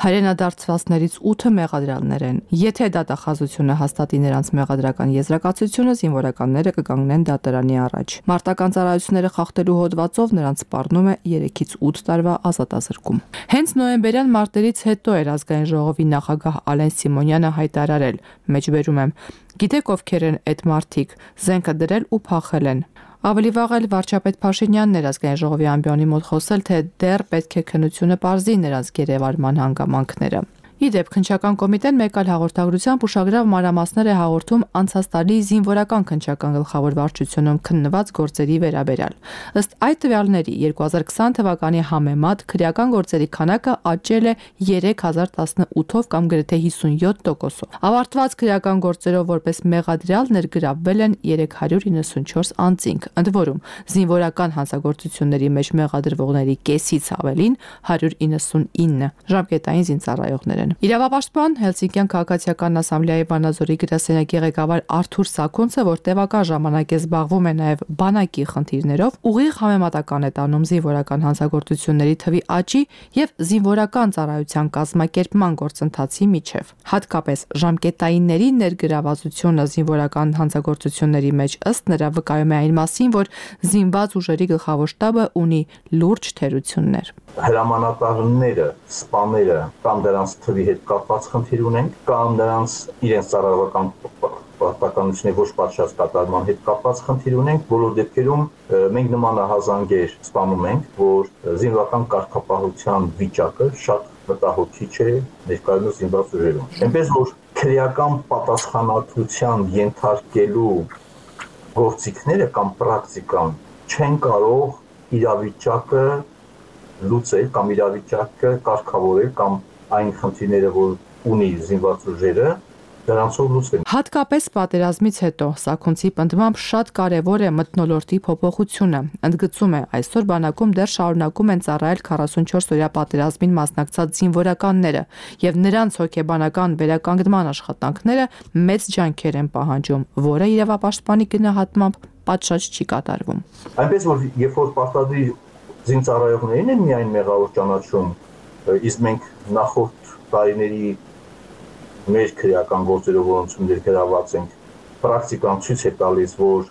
Հայրենադարձվածներից ութը մեղադրյալներ են։ Եթե դատախազությունը հաստատի նրանց մեղադրական եզրակացությունը, զինվորականները կկանգնեն դատարանի առաջ։ Մարտական ծառայությունները խախտելու հոդվածով նրանց սպառնում է երեքից ութ տարվա ազատազրկում։ Հենց նոյեմբերյան մարտերից հետո էր ազգային ժողովի նախագահ Ալեն Սիմոնյանը հայտարարել. մեջբերում եմ. Գիտեք ովքեր են այդ մարդիկ, զենքը դրել ու փախել են։ Ավելի վաղ էլ վարչապետ Փաշինյանն էր ազգային ժողովի ամբիոնի մոտ խոսել, թե դեռ պետք է քննությունը պարզի նրանց գերեվարման հանգամանքները։ Իդեպ քննչական կոմիտեն մեկ այլ հաղորդագրությամբ ուշագրավ մանրամասներ է հաղորդում անցած տարի զինվորական քննչական գլխավոր վարչությունում քննված գործերի վերաբերյալ։ Ըստ այդ տվյալների երկու հազար քսան թվականի համեմատ քրեական գործերի քանակը աճել է երեք հազար տասնութով կամ գրեթե հիսունյոթ տոկոսով։ Ավարտված քրեական գործերով որպես մեղադրյալ ներգրավվել են երեք հարյուր իննսունչորս անձինք, ընդ որում զինվորական հանցագործությունների մեջ մեղադրվողների կեսից ավելին հարյուր իննսունինը ժամկետային զինծառայողներ են։ Իրավապաշտպան Հելսինկյան քաղաքացիական ասամբլեայի Վանաձորի գրասենյակի ղեկավար Արթուր Սաքունցը, որ տևական ժամանակ է զբաղվում է նաև բանակի խնդիրներով, ուղիղ համեմատական է տանում զինվորական հանցագործությունների թվի աճի եւ զինվորական ծառայության կազմակերպման գործընթացի միջև։ Հատկապես ժամկետայինների ներգրավվածությունը զինվորական հանցագործությունների մեջ ըստ նրա վկայում է այն մասին, որ զինված ուժերի գլխավոր շտաբը ունի լուրջ թերություններ։ Հրամանատարները, սպաները կամ դրանց թվի հետ կապված խնդիր ունենք, կամ նրանց իրենց ծառայողական պարտականությունների ոչ պատշաճ կատարման հետ կապված խնդիր ունենք, բոլոր դեպքերում մենք նմանահազանգեր սպանում ենք, որ զինվորական կարգապահության վիճակը շատ մտահոգիչ է ներկայումս զինված ուժերում։ Այնպես որ քրեական պատասխանատվության ենթարկելու գործիքները կամ պրակտիկան չեն կարող իրավիճակը լուծել կամ իրավիճակը կարգավորել կամ այն խնդիրները, որ ունի զինված ուժերը, դրանցով լուծվեն։ Հատկապես պատերազմից հետո Սաքունցի պնդմամբ շատ կարևոր է մթնոլորտի փոփոխությունը։ Ընդգծում է, այսօր բանակում դեռ շարունակում են ծառայել քառասունչորս օրյա պատերազմին մասնակցած զինվորականները, եւ նրանց հոգեբանական վերականգնման աշխատանքները մեծ ջանքեր են պահանջում, որը իրավապաշտպանի գնահատմամբ պատշաճ չի կատարվում։ Այնպես որ երբ որ պարտադիր զինծառայողներին են միայն մեղավոր ճանաչում, իսկ մենք նախորդ տարիների մեր քրեական գործերով որոնցում ներգրավված ենք, պրակտիկան ցույց է տալիս, որ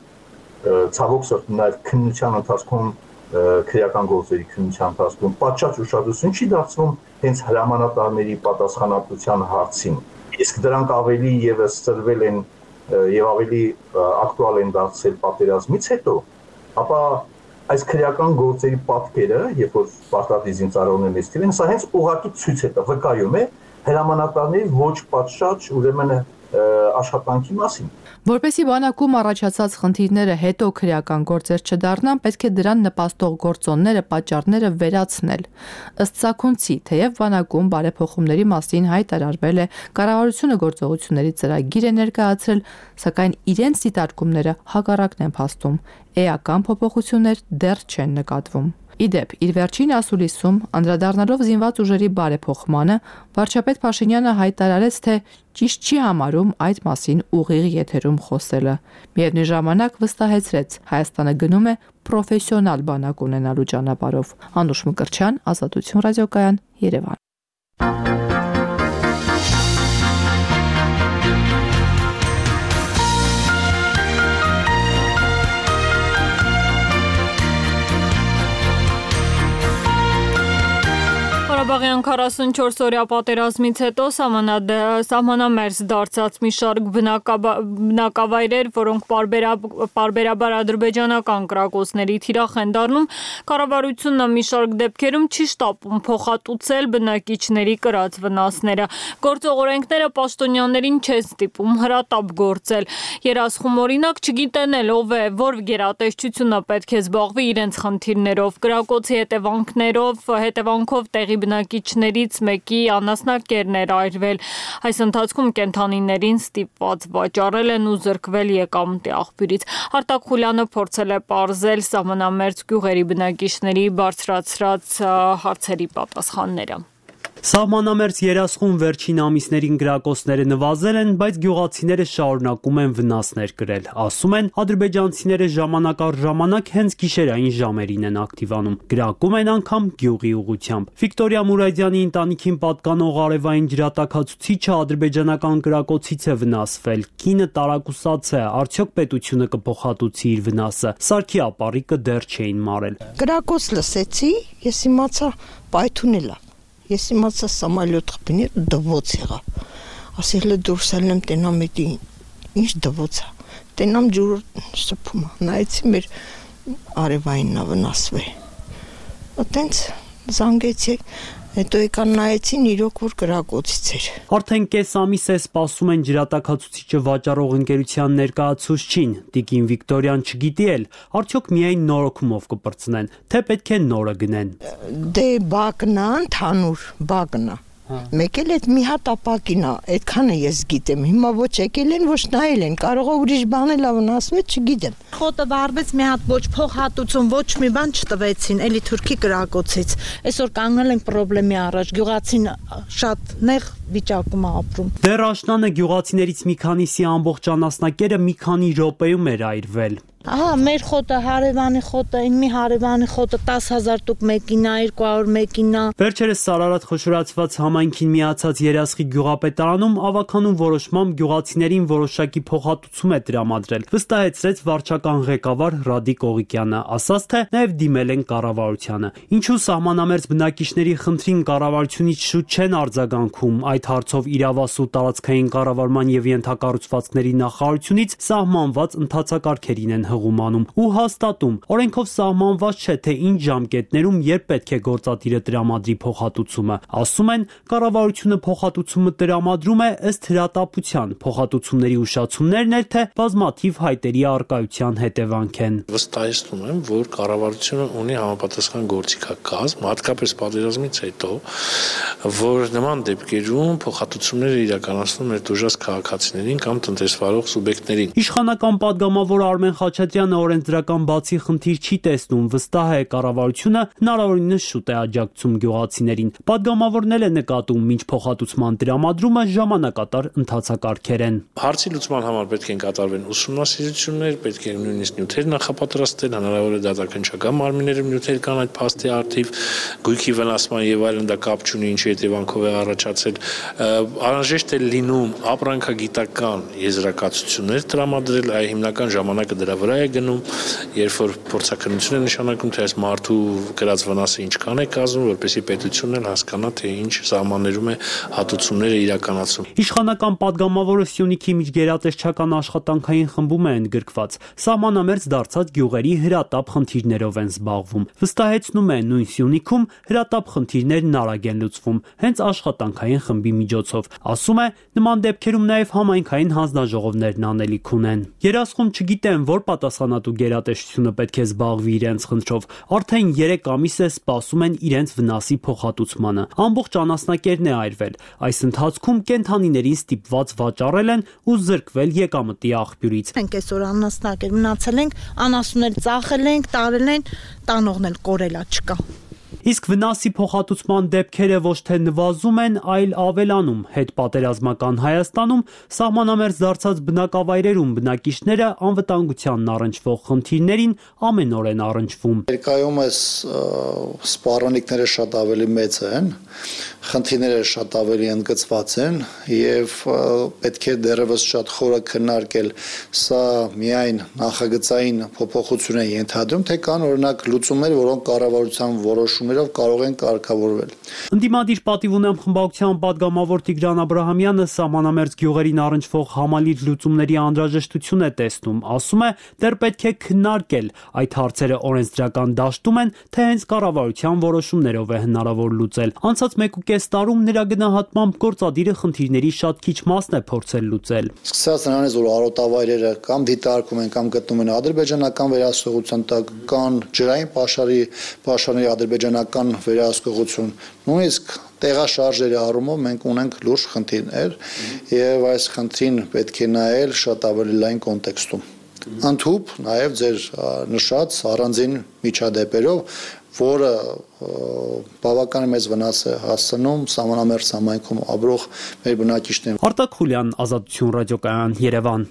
ցավոք սրտի նաև քննության ընթացքում քրեական գործերի քննության ընթացքում պատշաճ ուշադրություն չի դարձվում հենց հրամանատարների պատասխանատվության հարցին։ Իսկ դրանք ավելի եւս ծրվել են եւ ավելի ակտուալ են դարձել պատերազմից հետո, ապա այս քրեական գործերի պատկերը, երբ որ պարտադիր զինծառայողներն ստիպեն, սա հենց ուղղակի ցույց է տա, վկայում է հրամանատարների ոչ պատշաճ ուրեմն աշխատանքի մասին։ Որպեսզի բանակում առաջացած խնդիրները հետո քրեական գործեր չդառնան, պետք է դրան նպաստող գործոնները, պատճառները վերացնել։ Ըստ Սաքունցի, թեև բանակում բարեփոխումների մասին հայտարարվել է, կառավարությունը գործողությունների ծրագիր է ներկայացրել, սակայն իրենց դիտարկումները հակառակն են փաստում։ Էական փոփոխություններ դեռ չեն նկատվում։ Իդեպ, իր վերջին ասուլիսում, անդրադառնալով զինված ուժերի բարեփոխմանը, վարչապետ Փաշինյանը հայտարարեց, թե ճիշտ չի համարում այդ մասին ուղիղ եթերում խոսելը։ Միևնույն ժամանակ վստահեցրեց, Հայաստանը գնում է պրոֆեսիոնալ բանակ ունենալու ճանապարհով։ Անուշ Մկրտչյան, Ազատություն ռադիոկայան, Երևան։ Ղարաբաղյան քառասունչորս օրյա պատերազմից հետո սահմանամերձ դարձած մի շարք բնակավայրեր, որոնք պարբերաբար ադրբեջանական կրակոցների թիրախ են դառնում, կառավարությունը մի շարք դեպքերում չի շտապում փոխհատուցել բնակիչների կրած վնասները։ Գործող օրենքները պաշտոնյաներին չեն ստիպում հրատապ գործել։ Երասխում օրինակ չգիտեն էլ ով է, որ գերատեսչությունը պետք է զբաղվի իրենց խնդիրներով, կրակոցի հետևանքներով, հետևանքով տեղի բնակիչներից մեկի անասնակերն էր այրվել։ Այս ընթացքում կենդանիներին ստիպված վաճառել են ու զրկվել եկամտի աղբյուրից։ Արտակ Խուլյանը փորձել է պարզել սահմանամերձ գյուղերի բնակիչների բարձրացրած հարցերի պատասխանները։ Սահմանամերձ երասխում վերջին ամիսներին գրակոցները նվազել են, բայց գյուղացիները շարունակում են վնասներ կրել։ Ասում են, ադրբեջանցիները ժամանակ առ ժամանակ հենց գիշերային ժամերին են ակտիվանում, գրակում են անգամ գյուղի ուղղությամբ։ Վիկտորիա Մուրադյանի ընտանիքին պատկանող արևային ջրատաքացուցիչը ադրբեջանական գրակոցից է վնասվել։ Կինը տարակուսած է, արդյոք պետությունը կփոխհատուցի իր վնասը։ Սարքի ապառիկը դեռ չէին մարել։ Գրակոց լսեցի, ես իմացա պայթուն էլա։ Ես իմացա սամալյոտ խփին դվոց եղավ։ Ասել է դուրս ելնեմ տենամ էդի ինչ դվոց է։ Տենամ ջուրը սփում է։ Նայեցի մեր արևայինն վնասվել։ Այտենց զանգեցի, հետո եկան նայեցին իրոք որ գրակոցից էր։ Արդեն կես ամիս է սպասում են ջրատաքացուցիչը վաճառող ընկերության ներկայացուցչին։ Տիկին Վիկտորիան չգիտի էլ, արդյոք միայն նորոգումով կպրծնեն, թե պետք է նորը գնեն։ Դե բակնա, ընդհանուր բակնա։ Մեկ էլ այդ մի հատ ապակին է, այդքանը ես գիտեմ։ Հիմա ոչ եկել են, ոչ նայել են, կարող է ուրիշ բան էլ վնասվեց, չգիտեմ։ Խոտը վառվեց, մի հատ ոչ փոխհատուցում, ոչ մի բան չտվեցին, էլի թուրքի կրակոցից։ Այսօր կանգնել ենք խնդրի առաջ, գյուղացին շատ նեղ վիճակում է ապրում։ Դեռ աշնանը գյուղացիներից մի քանիսի ամբողջ անասնակերը մի քանի րոպեում էր այրվել։ Ահա մեր խոտը, հարևանի խոտը, այն մի հարևանի խոտը դես հազար տուկ մեկինա, երկու հարյուր մեկինա։ Վերջերս Սարարատ խոշորացված համայնքին միացած Երասխի գյուղապետարանում ավականուն որոշմամբ գյուղացիներին որոշակի փոխհատուցում է տրամադրել, վստահեցրեց վարչական ղեկավար Ռադիկ Օղիկյանը, ասաց թե նաև դիմել են կառավարությանը։ Ինչու սահմանամերձ բնակիչների խնդրին կառավարությունից շուտ չեն արձագանքում, այդ հարցով իրավասու տարածքային կառավարման եւ ենթակառուցվածքների նախարարությունից սահմանված ընթացակարգերին են հղումանում ու հաստատում։ Օրենքով սահմանված չէ, թե ինչ ժամկետներում երբ պետք է գործադիրը տրամադրի փոխհատուցումը։ Ասում են, կառավարությունը փոխհատուցումը տրամադրում է ըստ հրատապության, փոխհատուցումների ուշացումներն էլ թե բազմաթիվ հայտերի առկայության հետևանք են։ Վստահեցնում եմ, որ կառավարությունը ունի համապատասխան գործիքակազմ, հատկապես պատերազմից հետո, որ նման դեպքերում փոխհատուցումները իրականացնում է դժվար քաղաքացիներին կամ տնտեսվարող սուբյեկտներին։ Իշխանական падգամավոր Արմեն Խաչատրյանը օրենսդրական բացի խնդիր չի տեսնում, վստահ է կառավարությունը հնարավորինս շուտ է աջակցում գյուղացիներին։ Падգամավորն էլ է նկատում, մինչ փոխհատուցման տրամադրումը ժամանակատար ընթացակարգեր են։ Հարցի լուծման համար պետք են կատարվեն ուսումնասիրություններ, պետք է նույնիսկ նյութեր նախապատրաստել, հնարավոր է դատաքննչական մարմիններում նյութեր կան այդ փաստի արդիվ, գույքի վնասման եւ այլն, դա կապ չունի ինչի հետևանքով է առաջացել։ Անհրաժեշտ է լինում ապրանքագիտական եզրակացություններ տրամադրել, այ հիմնական ժամանակը դրա վրա վրա է գնում, երբ որ փորձաքննություն է նշանակում, թե այս մարդու գրած վնասը ինչքան է կազմում, որպեսզի պետությունն էլ հասկանա, թե ինչ սահմաններում է հատուցումները իրականացում։ Իշխանական падգամավորը Սյունիքի միջգերատեսչական աշխատանքային խմբում է ընդգրկված։ Սահմանամերձ դարձած գյուղերի հրատապ խնդիրներով են զբաղվում։ Վստահեցնում է, նույն Սյունիքում հրատապ խնդիրներն արագ են լուծվում, հենց աշխատանքային խմբի միջոցով։ Ասում է, նման դեպքերում նաև համայնքային հանձնաժողովներն անելիք ունեն։ Երասխում չգիտեն, որ պատասխանատու գերատեսչությունը պետք է զբաղվի իրենց խնդրով։ Արդեն երեք ամիս է սպասում են իրենց վնասի փոխհատուցմանը։ Ամբողջ անասնակերն է այրվել։ Այս ընթացքում կենդանիներին ստիպված վաճառել են ու զրկվել եկամտի աղբյուրից։ Մենք այսօր անասնակեր մնացել ենք, անասունել ծախել ենք, տարել են, տանողն էլ կորելա չկա։ Իսկ վնասի փոխհատուցման դեպքերը ոչ թե նվազում են, այլ ավելանում։ Հետպատերազմական Հայաստանում սահմանամերձ դարձած բնակավայրերում բնակիչները անվտանգությանն առնչվող խնդիրներին ամենօր են առնչվում։ Ներկայումս սպառնալիքները շատ ավելի մեծ են, խնդիրները շատ ավելի ընդգծված են եւ պետք է դեռևս շատ խորը քննարկել սա միայն նախագծային փոփոխություն է ենթադրում, թե կան օրինակ լուծումներ, որոնք կառավարության որոշումներով կարող են կարգավորվել։ Ընդդիմադիր պատիվ ունեմ խմբակցության падգամավոր Տիգրան Աբրահամյանը սահմանամերձ գյուղերին առնչվող համալիր լուծումների անհրաժեշտություն է տեսնում, ասում է, դեռ պետք է քննարկել այդ հարցերը օրենսդրական դաշտում են, թե հենց կառավարության որոշումներով է հնարավոր լուծել։ Անցած մեկ ու կես տարում նրա գնահատմամբ գործադիրը խնդիրների շատ քիչ մասն է փորձել լուծել։ Սկսած նրանից, որ արոտավայրերը կամ դիտարկում են կամ գտնում են ադրբեջանական վերահսկողության տակ, կան ջրային պաշարի պաշարների ադրբեջանական վերահսկողություն, նույնիսկ տեղաշարժերի առումով մենք ունենք լուրջ խնդիրներ եւ այս խնդրին պետք է նայել շատ ավելի լայն կոնտեքստում։ Ընդհուպ նաև ձեր նշած առանձին միջադեպերով, որը բավական մեծ վնաս է հասցնում սահմանամերձ համայնքում ապրող մեր բնակիչներին։ Արտակ Խուլյան, Ազատություն ռադիոկայան, Երևան։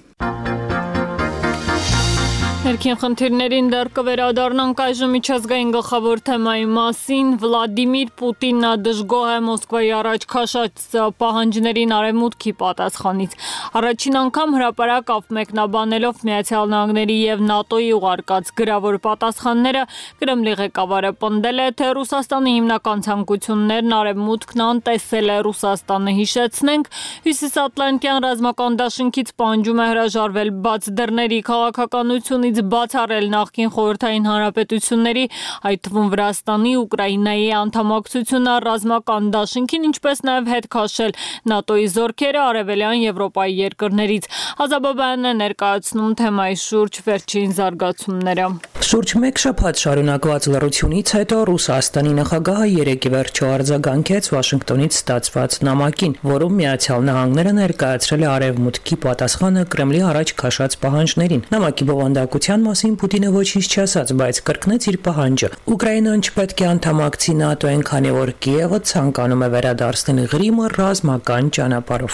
Ներքին խնդիրներին դեռ կվերադառնանք այժմ միջազգային գլխավոր թեմայի մասին։ Վլադիմիր Պուտինը դժգոհ է Մոսկվայի առաջ քաշած պահանջներին արևմուտքի պատասխանից։ Առաջին անգամ հրապարակ մեկնաբանելով Միացյալ Նահանգների եւ ՆԱՏՕ-ի ուղարկած գրավոր պատասխանները, Կրեմլի ղեկավարը պնդել է, թե Ռուսաստանի հիմնական ցանկություններն արևմուտքն անտեսել է Ռուսաստանը, հիշեցնենք, Հյուսիսատլանտյան ռազմական դաշինքից պահանջում է հրաժարվել բաց դռների քաղաքականությունից, բացառել նախկին խորհրդային հանրապետությունների, այդ թվում Վրաստանի, Ուկրաինայի անդամակցությունը ռազմական դաշինքին, ինչպես նաև հետ քաշել ՆԱՏՕ-ի զորքերը արևելյան Եվրոպայի երկրներից։ Ազաբաբյանն է ներկայացնում թեմայի շուրջ վերջին զարգացումները։ Շուրջ մեկ շաբաթ շարունակված լռությունից հետո Ռուսաստանի նախագահը երեկ ի վերջո արձագանքեց Վաշինգտոնից ստացված նամակին, որում Միացյալ Նահանգները ներկայացրել է արևմուտքի պատասխանը Կրեմլի առաջ քաշած պահանջներին։ Նամակի բովանդակության մասին Պուտինը ոչինչ չասաց, բայց կրկնեց իր պահանջը։ Ուկրաինան չպետք է անդամակցի ՆԱՏՕ-ին, քանի որ Կիևը ցանկանում է վերադարձնել Ղրիմը ռազմական ճանապարհով։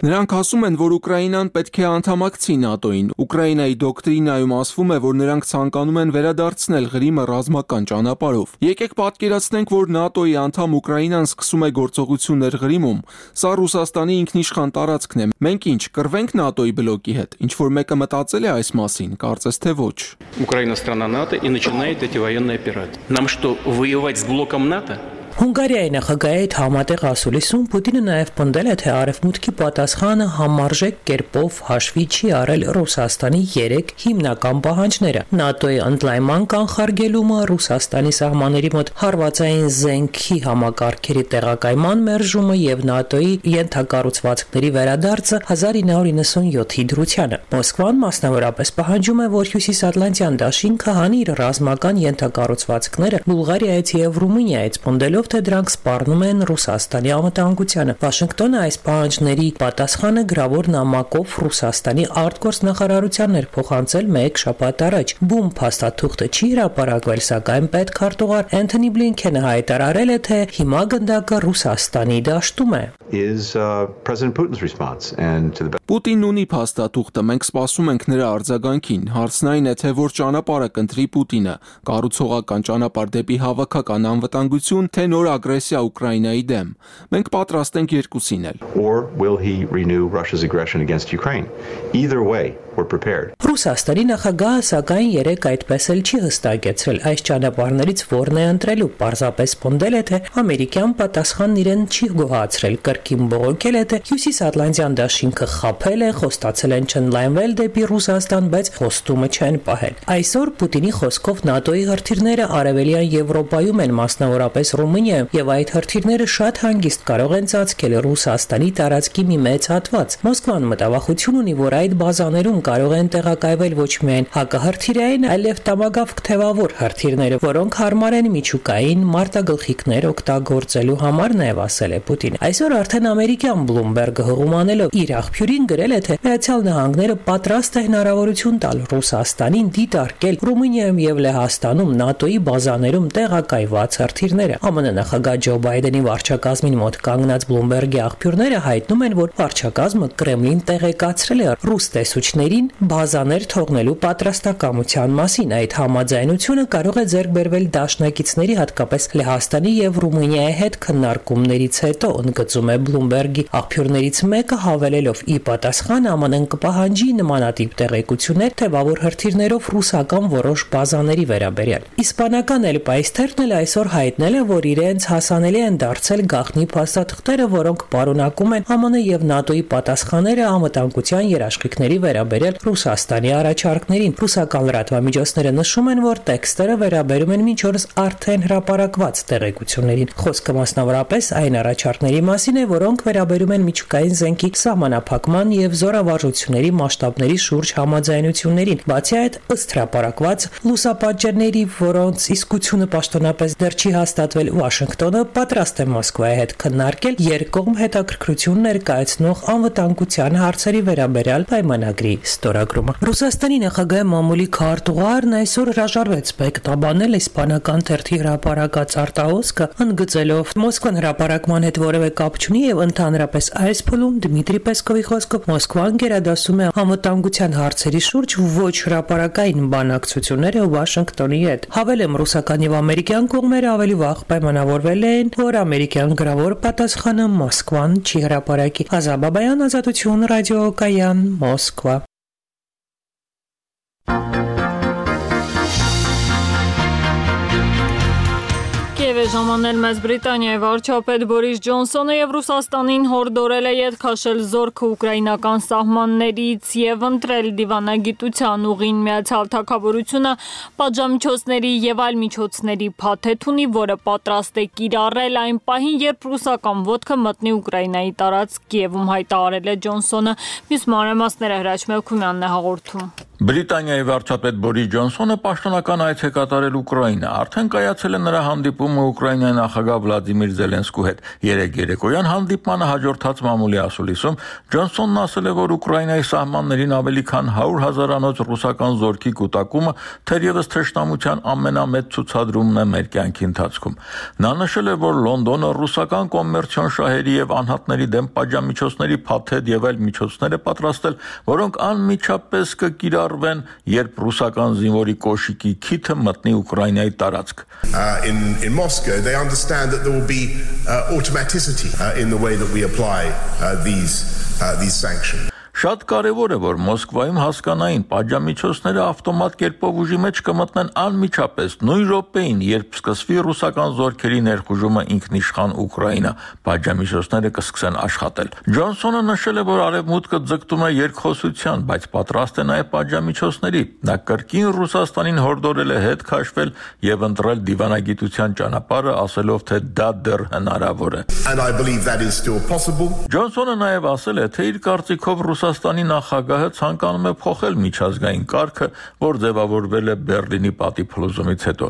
Նրանք ասում են, որ Ուկրաինան պետք է անդամակցի ՆԱՏՕ-ին։ Ուկրաինայի դոկտրինայում ասվում է, որ նրանք ցանկանում են վերադարձնել Ղրիմը ռազմական ճանապարհով։ Եկեք պատկերացնենք, որ ՆԱՏՕ-ի անդամ Ուկրաինան սկսում է գործողություններ Ղրիմում։ Սա Ռուսաստանի ինքնիշխան տարածքն է։ Մենք ինչ, կռվենք ՆԱՏՕ-ի բլոկի հետ։ Ինչ որ մեկը մտածել է այս մասին, կարծես թե ոչ։ Украина страна НАТО и начинает эти военные операции. Нам что, воевать с блоком НАТО? Հունգարիայի նախագահի հետ համատեղ ասուլիսում Պուտինը նաև պնդել է, թե արևմուտքի պատասխանը համարժեք կերպով հաշվի չի արել Ռուսաստանի երեք հիմնական պահանջները՝ ՆԱՏՕ-ի ընդլայնման կանխարգելումը, Ռուսաստանի սահմանների մոտ հարվածային զենքի համակարգերի տեղակայման մերժումը եւ ՆԱՏՕ-ի ենթակառուցվածքների վերադարձը հազար ինը հարյուր նվաթ դրությանը։ Մոսկվան մասնավորապես պահանջում է, որ Հյուսիսատլանտյան դաշինքը հանի իր ռազմական ենթակառուցվածքները Բուլղարիայից եւ Ռումինիայից պնդելով, թե դրանք սպառնում են Ռուսաստանի անվտանգությանը։ Վաշինգտոնը այս պահանջների պատասխանը գրավոր նամակով Ռուսաստանի արտգործնախարարությանն էր փոխանցել մեկ շաբաթ առաջ։ Բում փաստաթուղթը չի հրապարակվել, սակայն պետքարտուղար Էնթոնի Բլինքենը հայտարարել է, թե հիմա գնդակը Ռուսաստանի դաշտում է։ Պուտինն ունի փաստաթուղթը, մենք սպասում ենք նրա արձագանքին։ Հարցն այն է, թե որ ճանապարհը կընտրի Պուտինը՝ կառուցողական ճանապարհ դեպի հավաքական անվտանգություն, թե նոր ագրեսիա Ուկրաինայի դեմ։ Մենք պատրաստ ենք երկուսին էլ։ Or will he renew Russia's aggression against Ukraine? Either way, we're prepared. Ռուսաստանի նախագահը սակայն երեք այդպես էլ չի հստակեցրել այս ճանապարհներից որն է ընտրելու, պարզապես պնդել է, թե ամերիկյան պատասխանն իրեն չի գոհացրել, կրկին բողոքել է, թե Հյուսիսատլանտյան դաշինքը խաբել է, խոստացել են չընդլայնվել դեպի Ռուսաստան, բայց խոստումը չեն պահել։ Այսօր Պուտինի խոսքով ՆԱՏՕ-ի հրթիռները արևելյան Եվրոպայում են, մասնավորապես Ռումինիայում, եւ այդ հրթիռները շատ հանգիստ կարող են ծածկել Ռուսաստանի տարածքի մի մեծ հատված։ Մոսկվան մտավախություն ունի, որ այդ բազաներում կարող են տեղակայվել ոչ միայն հակահրթիռային, այլև տամագավք թևավոր հրթիռները, որոնք հարմար են միջուկային մարտագլխիկներ օգտագործելու համար, նաև ասել է Պուտինը։ Այսօր արդեն ամերիկյան Bloomberg-ը հղումանելով իր աղբյուրին գրել է, թե Միացյալ Նահանգները պատրաստ է հնարավորություն տալ Ռուսաստանին դիտարկել Ռումինիայում եւ Լեհաստանում ՆԱՏՕ-ի բազաներում տեղակայված հրթիռները։ ԱՄՆ նախագահ Ջո Բայդենի վարչակազմին մոտ կանգնած Bloomberg-ի աղբյուրները հայտնում են, որ վարչակազմը Կրեմլին տեղեկացրել է ռուս տեսուչներին բազաներ թողնելու պատրաստակամության մասին։ Այդ համաձայնությունը կարող է ձեռք բերվել դաշնակիցների, հատկապես Լեհաստանի եւ Ռումինիայի հետ քննարկումներից հետո, ընդգծում է Bloomberg-ի աղբյուրներից մեկը, հավելելով՝ ի պատասխան ԱՄՆ-ն կպահանջի նմանատիպ տեղեկություններ թևավոր հրթիռներով ռուսական որոշ բազաների վերաբերյալ։ Իսպանական El País-ն էլ այսօր հայտնել է, որ իրենց հասանելի են դարձել գաղտնի փաստաթղթերը, որոնք պարունակում են ԱՄՆ եւ ՆԱՏՕ-ի պատասխանները անվտանգության երաշխիքների վերաբերյալ Ռուսաստանի առաջարկներին։ Ռուսական լրատվամիջոցները նշում են, որ տեքստերը վերաբերում են մինչ օրս արդեն հրապարակված տեղեկություններին։ Խոսքը մասնավորապես այն առաջարկների մասին է, որոնք վերաբերում են միջուկային զենքի սահմանափակման եւ զորավարժությունների մասշտաբների շուրջ համաձայնություններին։ Բացի այդ, ըստ հրապարակված լուսապատճառների, որոնց իսկությունը պաշտոնապես դեռ չի հաստատվել, Վաշինգտոնը պատրաստ է Մոսկվայի հետ քննարկել երկկողմ հետաքրքրություն ներկայացնող անվտանգության հարցերի վերաբերյալ պայմանագրի ստորագրումը։ Ռուսաստանի նախագահի մամուլի քարտուղարն այսօր հրաժարվեց մեկնաբանել իսպանական թերթի հրապարակած արտահոսքը, ընդգծելով Մոսկվան հրապարակման հետ որևէ կապ չունի եւ ընդհանրապես այս փուլում Դմիտրի Պեսկովի խոսքով Մոսկվան գերադասում է անվտանգության հարցերի շուրջ ոչ հրապարակային բանակցությունները Վաշինգտոնի հետ։ Հավելեմ, ռուսական եւ ամերիկյան կողմերը ավելի վաղ պայմանավորվել են, որ ամերիկյան գրավոր պատասխանը Մոսկվան չի հրապարակի։ Ազաբաբայան, Ազատություն, ռադիոկայան, Մոսկվա։ Կիև է ժամանել Մեծ Բրիտանիայի վարչապետ Բորիս Ջոնսոնը եւ Ռուսաստանին հորդորել է ետ քաշել զորքը ուկրաինական սահմաններից եւ ընտրել դիվանագիտության ուղին Միացյալ Թագավորությունը պատժամիջոցների եւ այլ միջոցների փաթեթ ունի, որը պատրաստ է կիրառել այն պահին, երբ ռուսական ոտքը մտնի Ուկրաինայի տարածք, Կիևում հայտարարել է Ջոնսոնը։ Մյուս մանրամասները Հրաչ Մելքումյանն է հաղորդում։ Բրիտանիայի վարչապետ Բորիս Ջոնսոնը պաշտոնական այց է կատարել Ուկրաինա։ Արդեն կայացել է նրա հանդիպումը Ուկրաինայի նախագահ Վլադիմիր Զելենսկու հետ։ Երեկ երեկոյան հանդիպմանը հաջորդած մամուլի ասուլիսում Ջոնսոնն ասել է, որ Ուկրաինայի սահմաններին ավելի քան հարյուր հազարանոց ռուսական զորքի կուտակումը թերևս թշնամության ամենամեծ ցուցադրումն է մեր կյանքի ընթացքում։ Նա նշել է, որ Լոնդոնը ռուսական կոմերցիոն շահերի եւ անհատների դեմ պատժամիջոցների փաթեթ եւ այլ միջոցներ է պատրաստել, որոնք անմիջապես կկիրառ երբ ռուսական զինվորի կոշիկի քիթը մտնի Ուկրաինայի տարածք։ In in Moscow they understand that there will be uh, automaticity uh, in the way that we apply uh, these uh, these sanctions. Շատ կարևոր է, որ Մոսկվայում հասկանային պատժամիջոցները ավտոմատ կերպով ուժի մեջ կմտնեն անմիջապես նույն րոպեին, երբ սկսվի ռուսական զորքերի ներխուժումը ինքնիշխան Ուկրաինա, պատժամիջոցները կսկսեն աշխատել։ Ջոնսոնը նշել է, որ արևմուտքը ձգտում է երկխոսության, բայց պատրաստ է նաև պատժամիջոցների։ Նա կրկին Ռուսաստանին հորդորել է հետ քաշվել եւ ընտրել դիվանագիտության ճանապարհը, ասելով, թե դա դեռ հնարավոր է։ And I believe that is still possible. Ջոնսոնը նաև ասել է, թե իր կարծիքով Ռուսաստանի նախագահը ցանկանում է փոխել միջազգային կարգը, որ ձևավորվել է Բերլինի պատի փլուզումից հետո։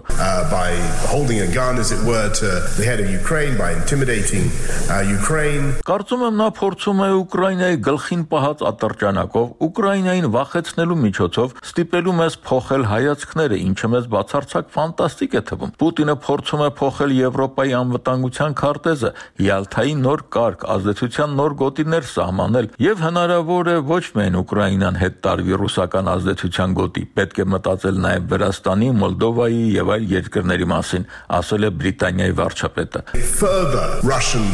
By holding a gun as it were to the head of Ukraine, by intimidating uh, Ukraine. Կարծում եմ նա փորձում է Ուկրաինայի գլխին պահած ատրճանակով Ուկրաինային վախեցնելու միջոցով ստիպելու մեզ փոխել հայացքները, ինչը մեզ բացարձակ ֆանտաստիկ է թվում։ Պուտինը փորձում է փոխել Եվրոպայի անվտանգության քարտեզը, Յալթայի նոր կարգ, ազդեցության նոր գոտիներ սահմանել եւ հնարավոր կարևոր է ոչ միայն Ուկրաինան հետ տարվի ռուսական ազդեցության գոտի, պետք է մտածել նաև Վրաստանի, Մոլդովայի եւ այլ երկրների մասին, ասել է Բրիտանիայի վարչապետը։ Further Russian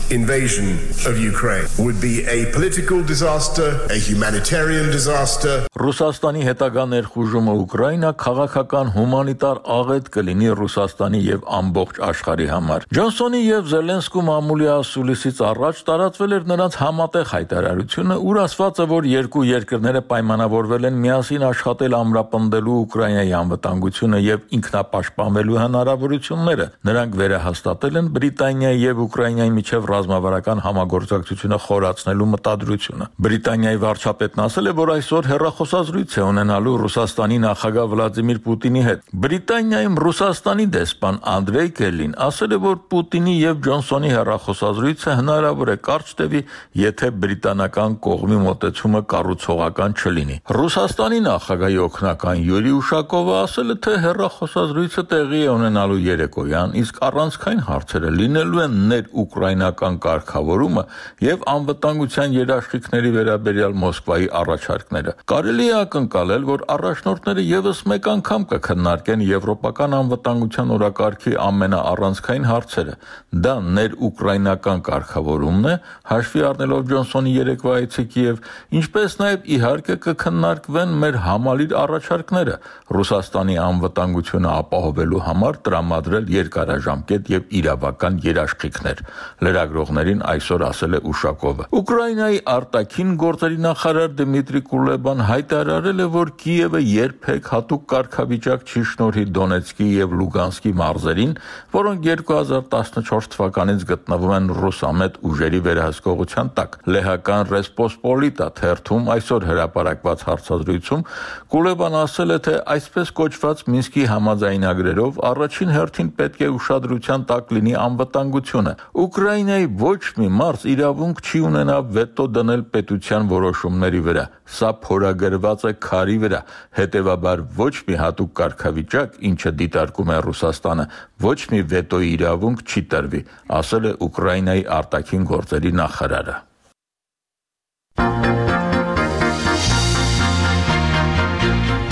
invasion of Ukraine would be a political disaster, a humanitarian disaster. Ռուսաստանի հետագա ներխուժումը Ուկրաինա քաղաքական հումանիտար աղետ կլինի Ռուսաստանի եւ ամբողջ աշխարհի համար։ Ջոնսոնի եւ Զելենսկու մամուլի ասուլիսից առաջ տարածվել էր նրանց համատեղ հայտարարությունը, ուր ասված է, որ երկու երկրները պայմանավորվել են միասին աշխատել ամրապնդելու Ուկրաինայի անվտանգությունը եւ ինքնապաշտպանվելու հնարավորությունները։ Նրանք վերահաստատել են Բրիտանիայի եւ Ուկրաինայի միջև ռազմավարական համագործակցությունը խորացնելու մտադրությունը։ Բրիտանիայի վարչապետն ասել է, որ այսօր հեռախոսազրույց է ունենալու Ռուսաստանի նախագահ Վլադիմիր Պուտինի հետ։ Բրիտանիայում Ռուսաստանի դեսպան Անդրեյ Կելին ասել է, որ Պուտինի եւ Ջոնսոնի հեռախոսազրույցը հնարավոր է կարճ տևի, եթե բրիտանական կողմի մոտեցումը կառուցողական չլինի։ Ռուսաստանի նախագահի օգնական Յուրի Ուշակովը ասել է, թե հեռախոսազրույցը տեղի է ունենալու երեկոյան, իսկ առանցքային հարցերը լինելու են ներ-ուկրաինական կարգավորումը եւ անվտանգության երաշխիքների վերաբերյալ Մոսկվայի առաջարկները։ Կարելի է ակնկալել, որ առաջնորդները եւս մեկ անգամ կքննարկեն եվրոպական անվտանգության օրակարգի ամենաառանցքային հարցերը։ Դա ներ-ուկրաինական կարգավորումն է, հաշվի առնելով Ջոնսոնի երեկվա այցի Կիև, ինչպես նաեւ իհարկե կքննարկվեն մեր համալիր առաջարկները Ռուսաստանի անվտանգությունը ապահովելու համար տրամադրել երկարաժամկետ եւ իրավական երաշխիքներ։ Լրագրողներին այսօր ասել է Ուշակովը։ Ուկրաինայի արտաքին գործերի նախարար Դմիտրի Կուլեբան հայտարարել է, որ Կիևը երբեք հատուկ կարգավիճակ չի շնորհի Դոնեցկի եւ Լուգանսկի մարզերին, որոնք երկու հազար տասնչորս թվականից գտնվում են ռուսամետ ուժերի վերահսկողության տակ։ Լեհական Ռեսպոսպոլիտա թերթում այսօր հրապարակված հարցազրույցում Կուլեբան ասել է, թե այսպես կոչված Մինսկի համաձայնագրերով առաջին հերթին պետք է ուշադրության տակ լինի անվտանգությունը։ Ուկրաինայի ոչ մի մարզ իրավունք չի ունենա վետո դնել պետության որոշումների վրա։ Սա փորագրված է քարի վրա։ Հետևաբար ոչ մի հատուկ կարգավիճակ, ինչը դիտարկում է Ռուսաստանը, ոչ մի վետոյի իրավունք չի տրվի, ասել է Ուկրաինայի արտաքին գործերի նախարարը։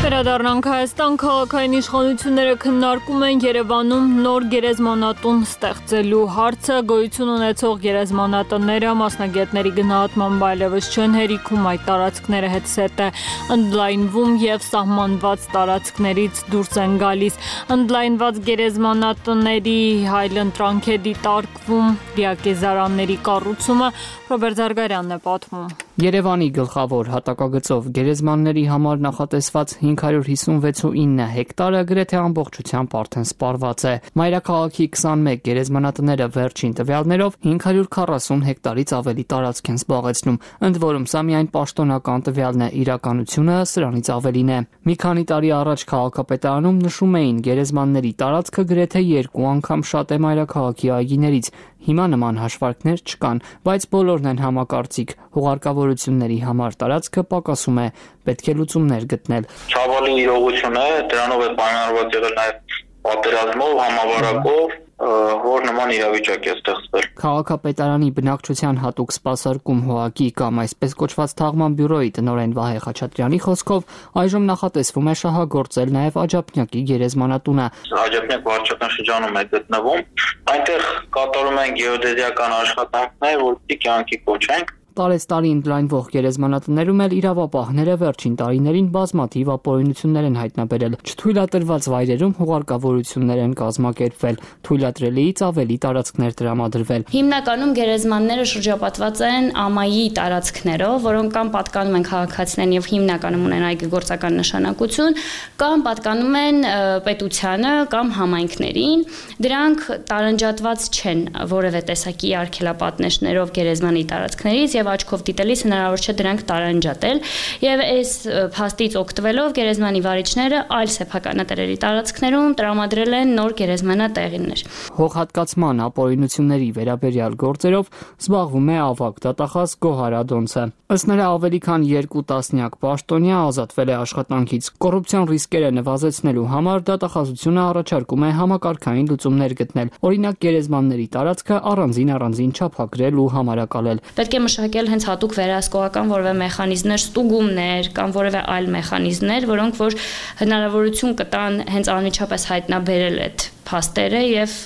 Վերադառնանք Հայաստան, քաղաքային իշխանությունները քննարկում են Երևանում նոր գերեզմանատուն ստեղծելու հարցը, գոյություն ունեցող գերեզմանատները մասնագետների գնահատմամբ այլևս չեն հերիքում, այդ տարածքները հետսետ է ընդլայնվում եւ սահմանված տարածքներից դուրս են գալիս։ Ընդլայնված գերեզմանատների հայլընտրանք է դիտարկվում դիակեզարանների կառուցումը, Ռոբերտ Զարգարյանն է պատմում։ Երևանի գլխավոր հատակագծով գերեզմանների համար նախատեսված հինգ հարյուր հիսունվեց ու ինը հեկտարը գրեթե ամբողջությամբ արդեն սպառված է։ Մայրաքաղաքի քսանմեկ գերեզմանատները վերջին տվյալներով հինգ հարյուր քառասուն հեկտարից ավելի տարածք են զբաղեցնում, ընդ որում սա միայն պաշտոնական տվյալն է, իրականությունը սրանից ավելին է։ Մի քանի տարի առաջ քաղաքապետարանում նշում էին, գերեզմանների տարածքը գրեթե երկու անգամ շատ է մայրաքաղաքի այգիներից։ Հիմա նման հաշվարկներ չկան, բայց բոլորն են համակարծիք։ Հուղարկավորությունների համար տարածքը պակասում է, պետք է լուծումներ գտնել։ Ցավալի իրողություն է, դրանով է պայմանավորված եղել նաև պատերազմով, համավարակով, որ նման իրավիճակ է ստեղծվել։ Քաղաքապետարանի բնակչության հատուկ սպասարկում հողակի կամ այսպես կոչված թաղման բյուրոյի տնօրեն Վահե Խաչատրյանի խոսքով այժմ նախատեսվում է շահագործել նաև Աջափնյակի գերեզմանատունը։ Աջափնյակ վարչական շրջանում է գտնվում, այնտեղ կատարում են գեոդեզիական աշխատանքներ, որպեսզի կյանքի կոչենք։ Տարեստարի ընդլայնվող գերեզմանատներում էլ իրավապահները վերջին տարիներին բազմաթիվ ապօրինություններ են հայտնաբերել։ Չթույլատրված վայրերում հուղարկավորություններ են կազմակերպվել, թույլատրելիից ավելի տարածքներ տրամադրվել։ Հիմնականում գերեզմանները շրջապատված են ամայի տարածքներով, որոնք կամ պատկանում են քաղաքացիներին եւ հիմնականում ունեն այգեգործական նշանակություն, կամ պատկանում են պետությանը կամ համայնքներին։ Դրանք տարանջատված չեն որևէ տեսակի արգելապատնեշներով գերեզմանի տարածքներից եւ աչքով դիտելիս հնարավոր չէ դրանք տարանջատել եւ այս փաստից օգտվելով գերեզմանի վարիչները այլ սեփականատերերի տարածքներում տրամադրել են նոր գերեզմանատեղիներ։ Հողհատկացման ապօրինությունների վերաբերյալ գործերով զբաղվում է ավագ դատախազ Գոհար Ադոնցը։ Ըստ նրա ավելի քան երկու տասնյակ պաշտոնյա ազատվել է աշխատանքից։ Կոռուպցիոն ռիսկերը նվազեցնելու համար դատախազությունը առաջարկում է համակարգային լուծումներ գտնել, օրինակ գերեզմանների տարածքը առանձին առանձին չափագրել ու համարակալել։ Պետք է մշակել եկել հենց հատուկ վերահսկողական որևէ մեխանիզմներ, ստուգումներ կամ որևէ այլ մեխանիզմներ, որոնք որ հնարավորություն կտան հենց անմիջապես հայտնաբերել այդ փաստերը եւ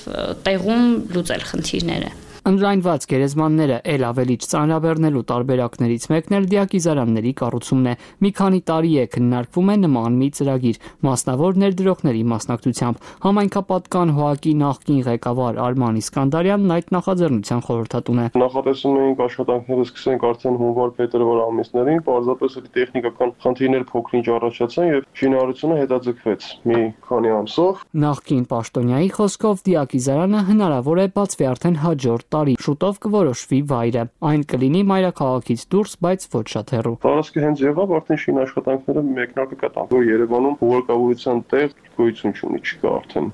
տեղում լուծել խնդիրները։ Ընդրայնված գերեզմանները ել ավելի ծանրաբեռնելու տարբերակներից մեկն էլ դիակիզարանների կառուցումն է։ Մի քանի տարի է քննարկվում է նման մի ծրագիր, մասնավոր ներդրողների մասնակցությամբ։ Համայնքապատկան ՀՕԱԿ-ի նախկին ղեկավար Արման Իսկանդարյանն այդ նախաձեռնության խորհրդատուն է։ Նախատեսում էինք աշխատանքները սկսենք արդեն հունվար-փետրվար ամիսներին, պարզապես էլի տեխնիկական խնդիրներ փոքր-ինչ առաջացան եւ շինարարությունը հետաձգվեց մի քանի ամսով։ Նախկին պաշտոնյայի խոսքով դիակիզարանը հնարավոր է բացվի արդեն հաջորդ տարի, շուտով կորոշվի վայրը։ Այն կլինի մայրաքաղաքից դուրս, բայց ոչ շատ հեռու։ Տարածքը հենց եղավ, արդեն շին աշխատանքները մեկնարկը կտան, որ Երևանում հուղարկավորության տեղ գոյություն չունի, չկա արդեն։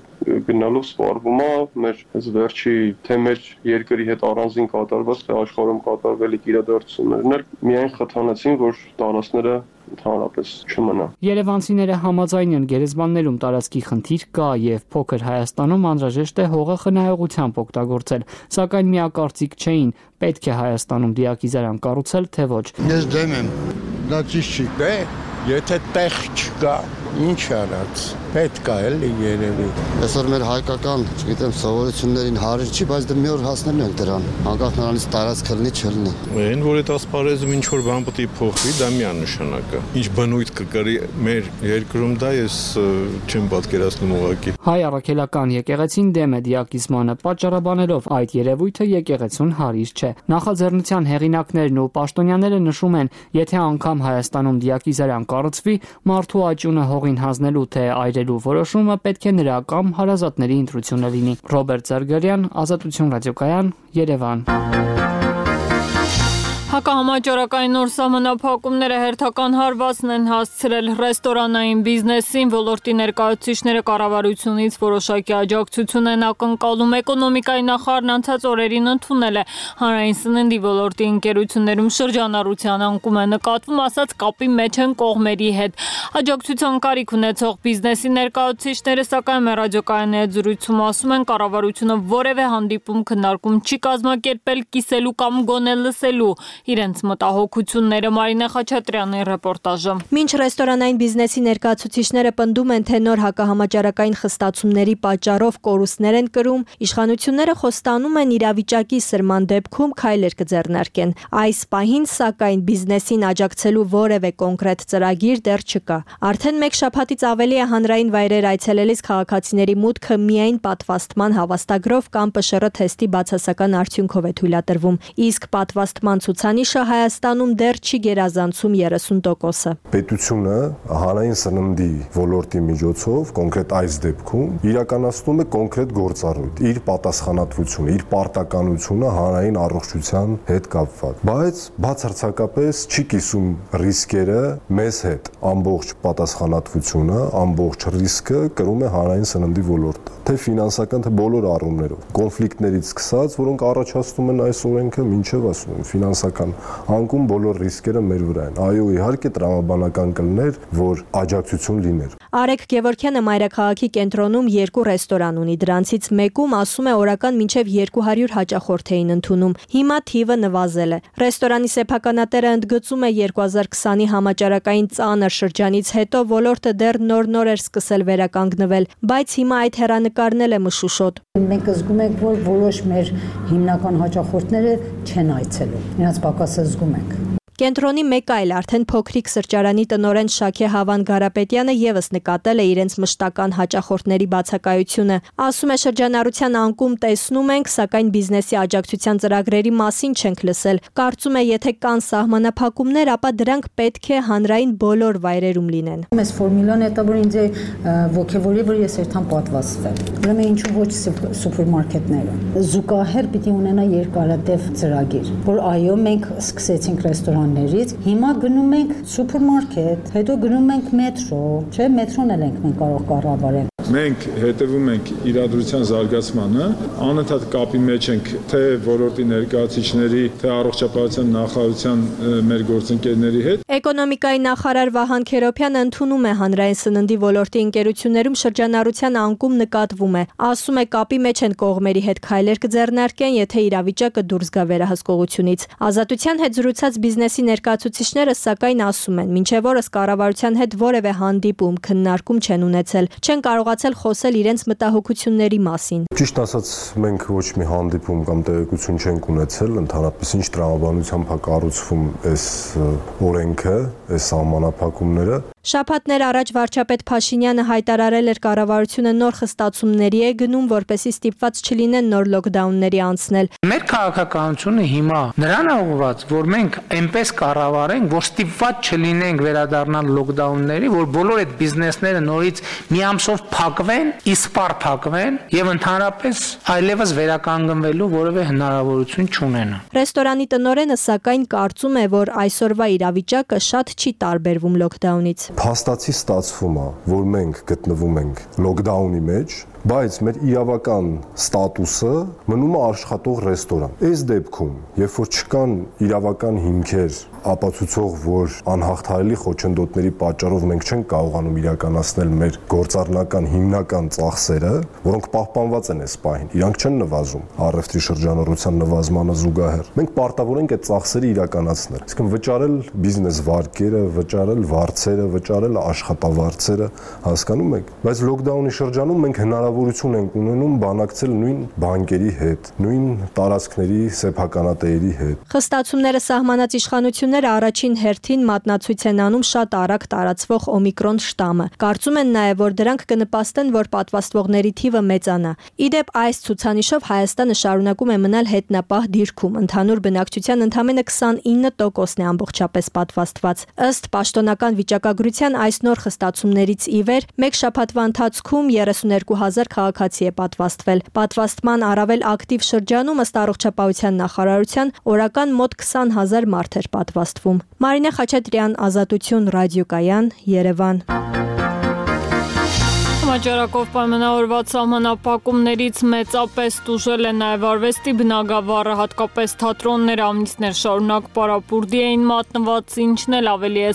Գնալով սպառվում է մեր այս վերջի թե մեր երկրի հետ առանձին կատարված, թե աշխարհում կատարվելիք իրադարձություններն էլ միայն խթանեցին, որ տարածքները ընդհանրապես չմնա։ Երևանցիները համաձայն են գերեզմաններում տարածքի խնդիր կա եւ փոքր Հայաստանում անհրաժեշտ է հողը խնայողությամբ օգտագործել, սակայն միակարծիք չէին, պետք է Հայաստանում դիակիզարան կառուցել, թե ոչ։ Ես դեմ եմ, դա ճիշտ չի, դե եթե տեղ չկա, ինչ արած, պետք է էլի երևի։ Այսօր մեր հայկական, չգիտեմ, սովորություններին հարիր չի, բայց դե մի օր հասնելու ենք դրան, անկախ նրանից տարածք լինի, չլինի։ Այն որ այդ ասպարեզում ինչ որ բան պետք է փոխվի, դա միանշանակ է։ Ինչ բնույթ կկրի մեր երկրում, դա ես չեմ պատկերացնում ուղղակի։ Հայ առաքելական եկեղեցին դեմ է դիակիզմանը, պատճառաբանելով այդ երևույթը եկեղեցուն հարիր չէ։ Նախաձեռնության հեղինակներն ու պաշտոնյաները նշում են, եթե անգամ Հայաստանում դիակիզարան կառուցվի, մարդու աճյունը հողին հանձնելու թե այրելու որոշումը պետք է նրա կամ հարազատների ընտրությունը լինի։ Ռոբերտ Զարգարյան, Ազատություն ռադիոկայան, Երևան։ Հակահամաճարակային նոր սահմանափակումները հերթական հարվածն են հասցրել ռեստորանային բիզնեսին, ոլորտի ներկայացուցիչները կառավարությունից որոշակի աջակցություն են ակնկալում։ Էկոնոմիկայի նախարարն անցած օրերին ընդունել է հանրային սննդի ոլորտի ընկերություններում շրջանառության անկում է նկատվում, ասած կապի մեջ են կողմերի հետ։ Աջակցության կարիք ունեցող բիզնեսի ներկայացուցիչները, սակայն մեր ռադիոկայանի հետ զրույցում ասում են, կառավարությունը որևէ հանդիպում քննարկում չի կազմակերպել կիսելու կամ գոնե լսելու իրենց մտահոգությունները։ Մարինե Խաչատրյանի ռեպորտաժը։ Մինչ ռեստորանային բիզնեսի ներկայացուցիչները պնդում են, թե նոր հակահամաճարակային խստացումների պատճառով կորուստներ են կրում, իշխանությունները խոստանում են իրավիճակի սրման դեպքում քայլեր կձեռնարկեն։ Այս պահին, սակայն, բիզնեսին աջակցելու որևէ կոնկրետ ծրագիր դեռ չկա։ Արդեն մեկ շաբաթից ավելի է հանրային վայրեր այցելելիս քաղաքացիների մուտքը միայն պատվաստման հավաստագրով կամ ՊՇՌ թեստի բացասական արդյունքով է թույլատրվում, իսկ պատվաստման ցուցանիշը Հայաստանում դեռ չի գերազանցում երեսուն տոկոսը։ Պետությունը հանրային սննդի ոլորտի միջոցով, կոնկրետ այս դեպքում, իրականացնում է կոնկրետ գործառույթ, իր պատասխանատվությունը, իր պարտականությունը հանրային առողջության հետ կապված, բայց բացարձակապես չի կիսում ռիսկերը մեզ հետ։ Ամբողջ պատասխանատվությունը, ամբողջ ռիսկը կրում է հանրային սննդի ոլորտը, թե ֆինանսական, թե բոլոր առումներով, կոնֆլիկտներից սկսած, որոնք առաջացնում են այս օրենքը, մինչև ասում եմ ֆինանսական անկում բոլոր ռիսկերը մեր վրա են։ Այո, իհարկե տրամաբանական կլներ, որ աջակցություն լիներ։ Արեգ Գևորգյանը մայրաքաղաքի կենտրոնում երկու ռեստորան ունի, դրանցից մեկում ասում է օրական մինչև երկու հարյուր հաճախորդ էին ընդունում։ Հիմա թիվը նվազել է։ Ռեստորանի սեփականատերը ընդգծում է երկու հազար քսանի համաճարակային ծանր շրջանից հետո ոլորտը դեռ նոր-նոր էր սկսել վերականգնվել, բայց հիմա այդ հեռանկարն էլ է մշուշոտ։ Մենք զգում ենք, որ որոշ մեր հիմնական հաճախորդները չեն այցելում։ Նրանց պակասը զգում ենք։ Կենտրոնի մեկ այլ արդեն փոքրիկ սրճարանի տնօրեն Շաքե Հավան Գարապետյանը եւս նկատել է իրենց մշտական հաճախորդների բացակայությունը։ Ասում է, շրջանառության անկում տեսնում ենք, սակայն բիզնեսի աջակցության ծրագրերի մասին չենք լսել։ Կարծում է, եթե կան սահմանափակումներ, ապա դրանք պետք է հանրային բոլոր վայրերում լինեն։ Այս ֆորմուլան է, որ ինձ ոգևորի, որ ես երթամ պատվաստվել։ Ուրեմն ինչու ոչ սուպերմարկետները։ Զուգահեռ պիտի ունենա երկարատև ծրագիր, որ այո, մենք սկսեցինք ռեստորան Հիմա գնում ենք սուպերմարկետ, հետո գնում ենք մետրո, չէ, մետրոն էլ ենք մենք կարող կառավարել։ Մենք հետևում ենք իրադրության զարգացմանը, անընդհատ կապի մեջ ենք թե ոլորտի ներկայացուցիչների, թե առողջապահության նախարարության մեր գործընկերների հետ։ Էկոնոմիկայի նախարար Վահան Քերոբյանը ընդունում է հանրային սննդի ոլորտի ընկերություններում շրջանառության անկում նկատվում է։ Ասում է կապի մեջ են կողմերի հետ քայլեր կձեռնարկեն, եթե իրավիճակը դուրս գա վերահսկողությունից։ Ազատության հետ զրուցած բիզնեսի ներկայացուցիչները սակայն ասում են, մինչև օրս կառավարության հետ որևէ հանդիպում, քննարկում չեն ունեցել, չեն կարողացել խոսել իրենց մտահոգությունների մասին։ Ճիշտ ասած, մենք ոչ մի հանդիպում կամ տեղեկություն չենք ունեցել, ընդհանրապես ինչ տրամաբանությամբ է կառուցվում այս օրենքը, այս սահմանափակումները։ Շաբաթներ առաջ վարչապետ Փաշինյանը հայտարարել էր կառավարությունը նոր խստացումների է գնում, որպեսզի ստիպված չլինեն նոր լոկդաունների անցնել։ Մեր քաղաքականությունը հիմա նրան ուղղված, որ մենք այնպես կառավարենք, որ ստիպված չլինենք վերադառնալ լոկդաունների, որ բոլոր այդ բիզնեսները նորից մի ամսով փակվեն, իսպառ փակվեն եւ ընդհանրապես այլևս վերականգնվելու որևէ հնարավորություն չունենան։ Ռեստորանի տնօրենը սակայն կարծում է, որ այսօրվա իրավիճակը շատ չի տարբերվում լոկդաունից։ Փաստացի ստացվում է, որ մենք գտնվում ենք լոկդաունի մեջ, բայց մեր իրավական ստատուսը մնում է աշխատող ռեստորան։ Այս դեպքում, երբ որ չկան իրավական հիմքեր ապացուցող, որ անհաղթահարելի խոչընդոտների պատճառով մենք չենք կարողանում իրականացնել մեր գործառնական հիմնական ծախսերը, որոնք պահպանված են այս պահին, իրանք չեն նվազում առևտրի շրջանառության նվազմանը զուգահեռ։ Մենք պարտավոր ենք այդ ծախսերը իրականացնել։ Իսկն վճարել բիզնես վարկերը, վճարել վարձերը, վճարել աշխատավարձերը, հասկանում եք։ Բայց լոկդաունի շրջանում մենք հնարավորություն ենք ունենում բանակցել նույն բանկերի հետ, նույն տարածքների սեփականատերերի հետ։ Խստացումները սահմանած իշխանությունները առաջին հերթին մատնացույց են անում շատ արագ տարածվող օմիկրոն շտամը։ Կարծում են նաև, որ դրանք կնպաստեն, որ պատվաստվողների թիվը մեծանա։ Իդեպ այս ցուցանիշով Հայաստանը շարունակում է մնալ հետնապահ դիրքում։ Ընդհանուր բնակչության ընդամենը քսանինը տոկոսն է ամբողջապես պատվաստված։ Ըստ պաշտոնական վիճակագրության այս նոր խստացումներից ի վեր մեկ շաբաթվա ընթացքում երեսուներկու հազար քաղաքացի է պատվաստվել։ Պատվաստման առավել ակտիվ շրջանում ըստ առողջապահության նախարարության օրական մոտ քսան հազար մարդ էր պատվաստվում։ Մարինե Խաչատրյան, Ազատություն, ռադիոկայան, Երևան։ Համաճարակով պայմանավորված սահմանափակումներից մեծապես տուժել է նաև արվեստի բնագավառը, հատկապես թատրոնները ամիսներ շարունակ պարապուրդի էին մատնված, ինչն էլ ավելի է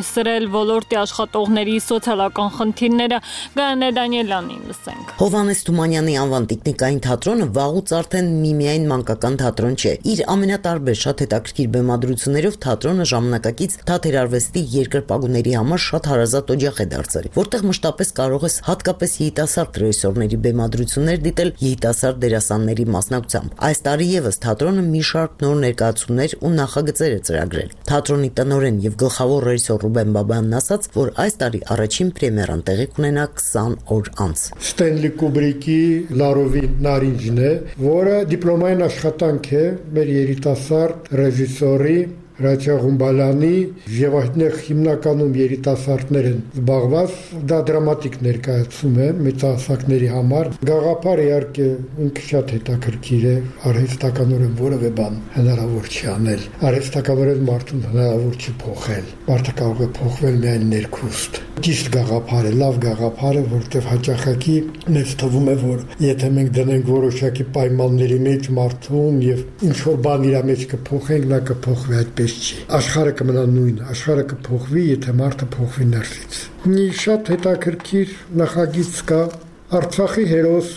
սրել ոլորտի աշխատողների սոցիալական խնդիրները։ Գայանե Դանիելյանին լսենք։ Հովհաննես Թումանյանի անվան տիկնիկային թատրոնը վաղուց արդեն միմիայն մանկական թատրոն չէ։ Իր ամենատարբեր շատ հետաքրքիր բեմադրություններով թատրոնը ժամանակակից թատերարվեստի երկրպագուների համար շատ հարազատ օջախ է դարձել, որտեղ մշտապես կարող ես հատկապես երիտասարդ ռեժիսորների բեմադրություններ դիտել երիտասարդ դերասանների մասնակցությամբ։ Այս տարի եւս թատրոնը մի շարք նոր ներկայացումներ ու նախագծեր է ծրագրել։ Թատրոնի տնօրեն եւ գլխավոր ռեժիսոր Ռուբեն Բաբայանն ասաց, որ այս տարի առաջին պրեմիերան տեղի կունենա քսան օր անց։ Ստենլի Կուբրիկի Լարովի նարինջն է, որը դիպլոմային աշխատանք է մեր երիտասարդ ռեժիսորի Ռաչա Ղումբալյանի եւ այդտեղ հիմնականում երիտասարդներ են զբաղված, դա դրամատիկ ներկայացում է մեծահասակների համար։ Գաղափարը իհարկե ինքը շատ հետաքրքիր է, արհեստականորեն որևէ բան հնարավոր չի անել։ Արհեստականորեն մարդուն հնարավոր չի փոխել։ Մարդը կարող է փոխվել միայն ներքուստ։ Ճիշտ գաղափար է, լավ գաղափար է, որտեղ հաճախակի մեզ թվում է, որ եթե մենք դնենք որոշակի պայմանների մեջ մարդուն եւ ինչ որ բան իր մեջ կփոխենք, նա կփոխվի այդպես չի։ Աշխարհը կմնա նույնը, աշխարհը կփոխվի, եթե մարդը փոխվի ներսից։ Մի շատ հետաքրքիր նախագիծ կա Արցախի հերոս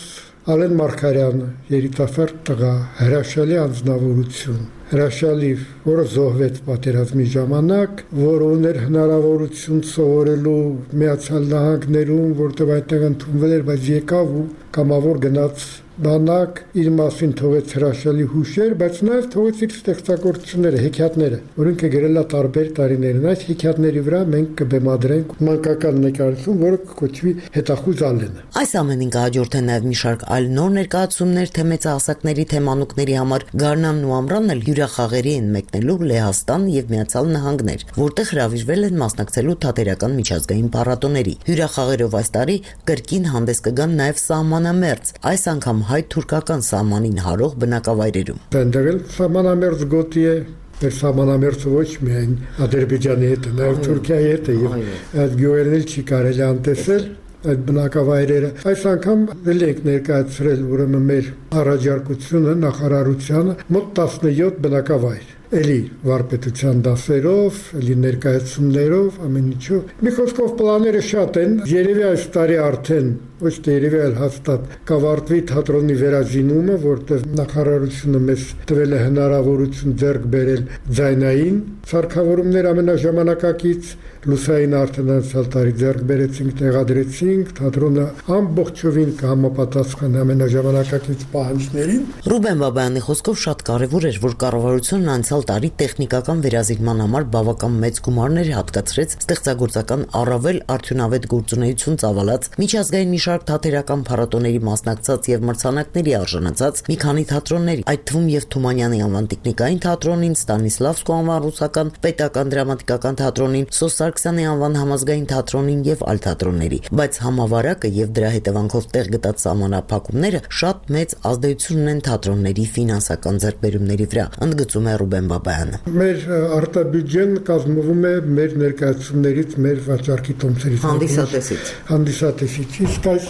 Ալեն Մարգարյանը, երիտասարդ տղա, հրաշալի անձնավորություն, հրաշալի, որը զոհվեց պատերազմի ժամանակ, որ ուներ հնարավորություն սովորելու Միացյալ Նահանգներում, որտեղ այդտեղ ընդունվել էր, բայց եկավ ու կամավոր գնաց բանակ, իր մասին թողեց հրաշալի հուշեր, բայց նաև թողեց իր ստեղծագործությունները, հեքիաթները, որոնք գրել է տարբեր տարիներին։ Այս հեքիաթների վրա մենք կբեմադրենք մանկական նկարություն, որը կոչվի Հետախուզ Ալենը։ Այս ամենին կհաջորդեն նաև մի շարք այլ նոր ներկայացումներ, թե մեծահասակների, թե մանուկների համար։ Գարնանն ու ամռանն էլ հյուրախաղերի են մեկնելու Լեհաստան եւ Միացյալ Նահանգներ, որտեղ հրավիրվել են մասնակցելու թատերական միջազգային փառատոների։ Հյուրախաղերով այս տարի կրկին հանդես կգան նաև սահմանամերձ, այս անգամ հայ-թուրքական սահմանին հարող բնակավայրերում։ Այնտեղ էլ սահմանամերձ գոտի է, մեր սահմանամերձը ոչ միայն Ադրբեջանի հետ է, նաև Թուրքիայի հետ է, եւ այդ գյուղերն էլ չի կարելի անտեսել, այդ բնակավայրերը։ Այս անգամ ել ենք ներկայացրել ուրեմն մեր առաջարկությունը նախարարությանը մոտ տասնյոթ բնակավայր էլի վարպետության դասերով, էլի ներկայացումներով, ամեն ինչով։ Մի խոսքով պլանները շատ են, երևի այս տարի արդեն ոչ թե երևի այլ հաստատ կավարտվի թատրոնի վերազինումը, որտեղ նախարարությունը մեզ տվել է հնարավորություն ձեռք բերել ձայնային սարքավորումներ ամենաժամանակակից, լուսային արդեն անցյալ տարի ձեռք բերեցինք, տեղադրեցինք, թատրոնը ամբողջովին կհամապատասխանի ամենաժամանակակից պահանջներին։ Ռուբեն Բաբայանի խոսքով շատ կարևոր էր, որ կառավարությունն անցյալ տարի տեխնիկական վերազինման համար բավական մեծ գումարներ հատկացրեց ստեղծագործական առավել արդյունավետ գործունեություն ծավալած միջազգային մի շարք թատերական փառատոների մասնակցած եւ մրցանակների արժանացած մի քանի թատրոնների, այդ թվում եւ Թումանյանի անվան տեխնիկային թատրոնին, Ստանիսլավսկու անվան ռուսական պետական դրամատիկական թատրոնին, Սոս Սարգսյանի անվան համազգային թատրոնին եւ այլ թատրոնների, բայց համավարակը եւ դրա հետևանքով տեղ գտած սահմանափակումները շատ մեծ ազդեցություն ունեն թատրոնների ֆինանսական ձեռքբերումների վրա, ընդգծում է Ռուբեն Բաբայանը։ Մեր արտաբյուջեն կազմվում է մեր ներկայացումներից, մեր վաճառքի տոմսերից, հանդիսատեսից։ Հանդիսատեսից, իսկ այս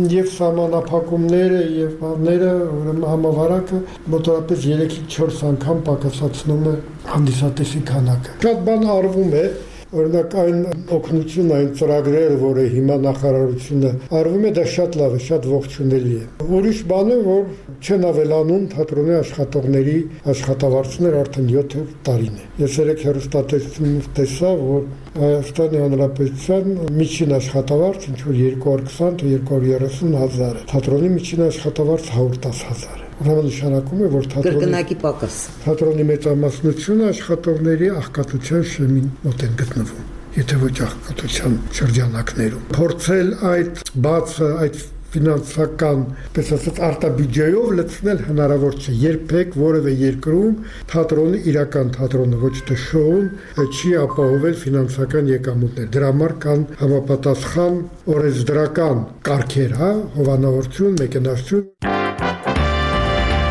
եւ սահմանափակումները եւ բաները, ուրեմն համավարակը մոտավորապես երեքից չորս անգամ պակասացնում է հանդիսատեսի քանակը։ Շատ բան արվում է, օրինակ այն օգնություն, այն ծրագրերը, որը հիմա նախարարությունը արվում է, դա շատ լավ է, շատ ողջունելի է։ Ուրիշ բան է, որ չեն ավելանում թատրոնի աշխատողների աշխատավարձներ արդեն յոթ տարին է։ Ես երեք հեռուստատեսությունից տեսա, որ Հայաստանի Հանրապետության միջին աշխատավարձ ինչ որ երկու հարյուր քսան թե երկու հարյուր երեսուն հազար է։ Թատրոնի միջին աշխատավարձ հարյուր տասը հազար է։ Ուրեմն նշանակում է, որ կրկնակի պակաս։ Թատրոնի մեծամասնությունը աշխատողների աղքատության շեմին մոտ են գտնվում, եթե ոչ աղքատության շրջանակներում։ Փորձել այդ բացը, այդ ֆինանսական, պես ասած, արտաբյուջեով լցնել հնարավոր չէ։ Երբեք որևէ երկրում թատրոնը, իրական թատրոնը, ոչ թե շոուն, չի ապահովել ֆինանսական եկամուտներ։ Դրա համար կան համապատասխան օրենսդրական կարգեր, հա, հովանավորություն, մեքենայություն։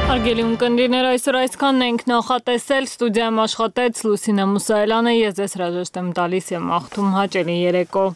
Հարգելի ունկնդիրներ, այսօր այսքանն ենք նախատեսել, ստուդիայում աշխատեց Լուսինե Մուսայելյանը, ես ձեզ հրաժեշտ եմ տալիս եւ մաղթում հաճելի երեկո։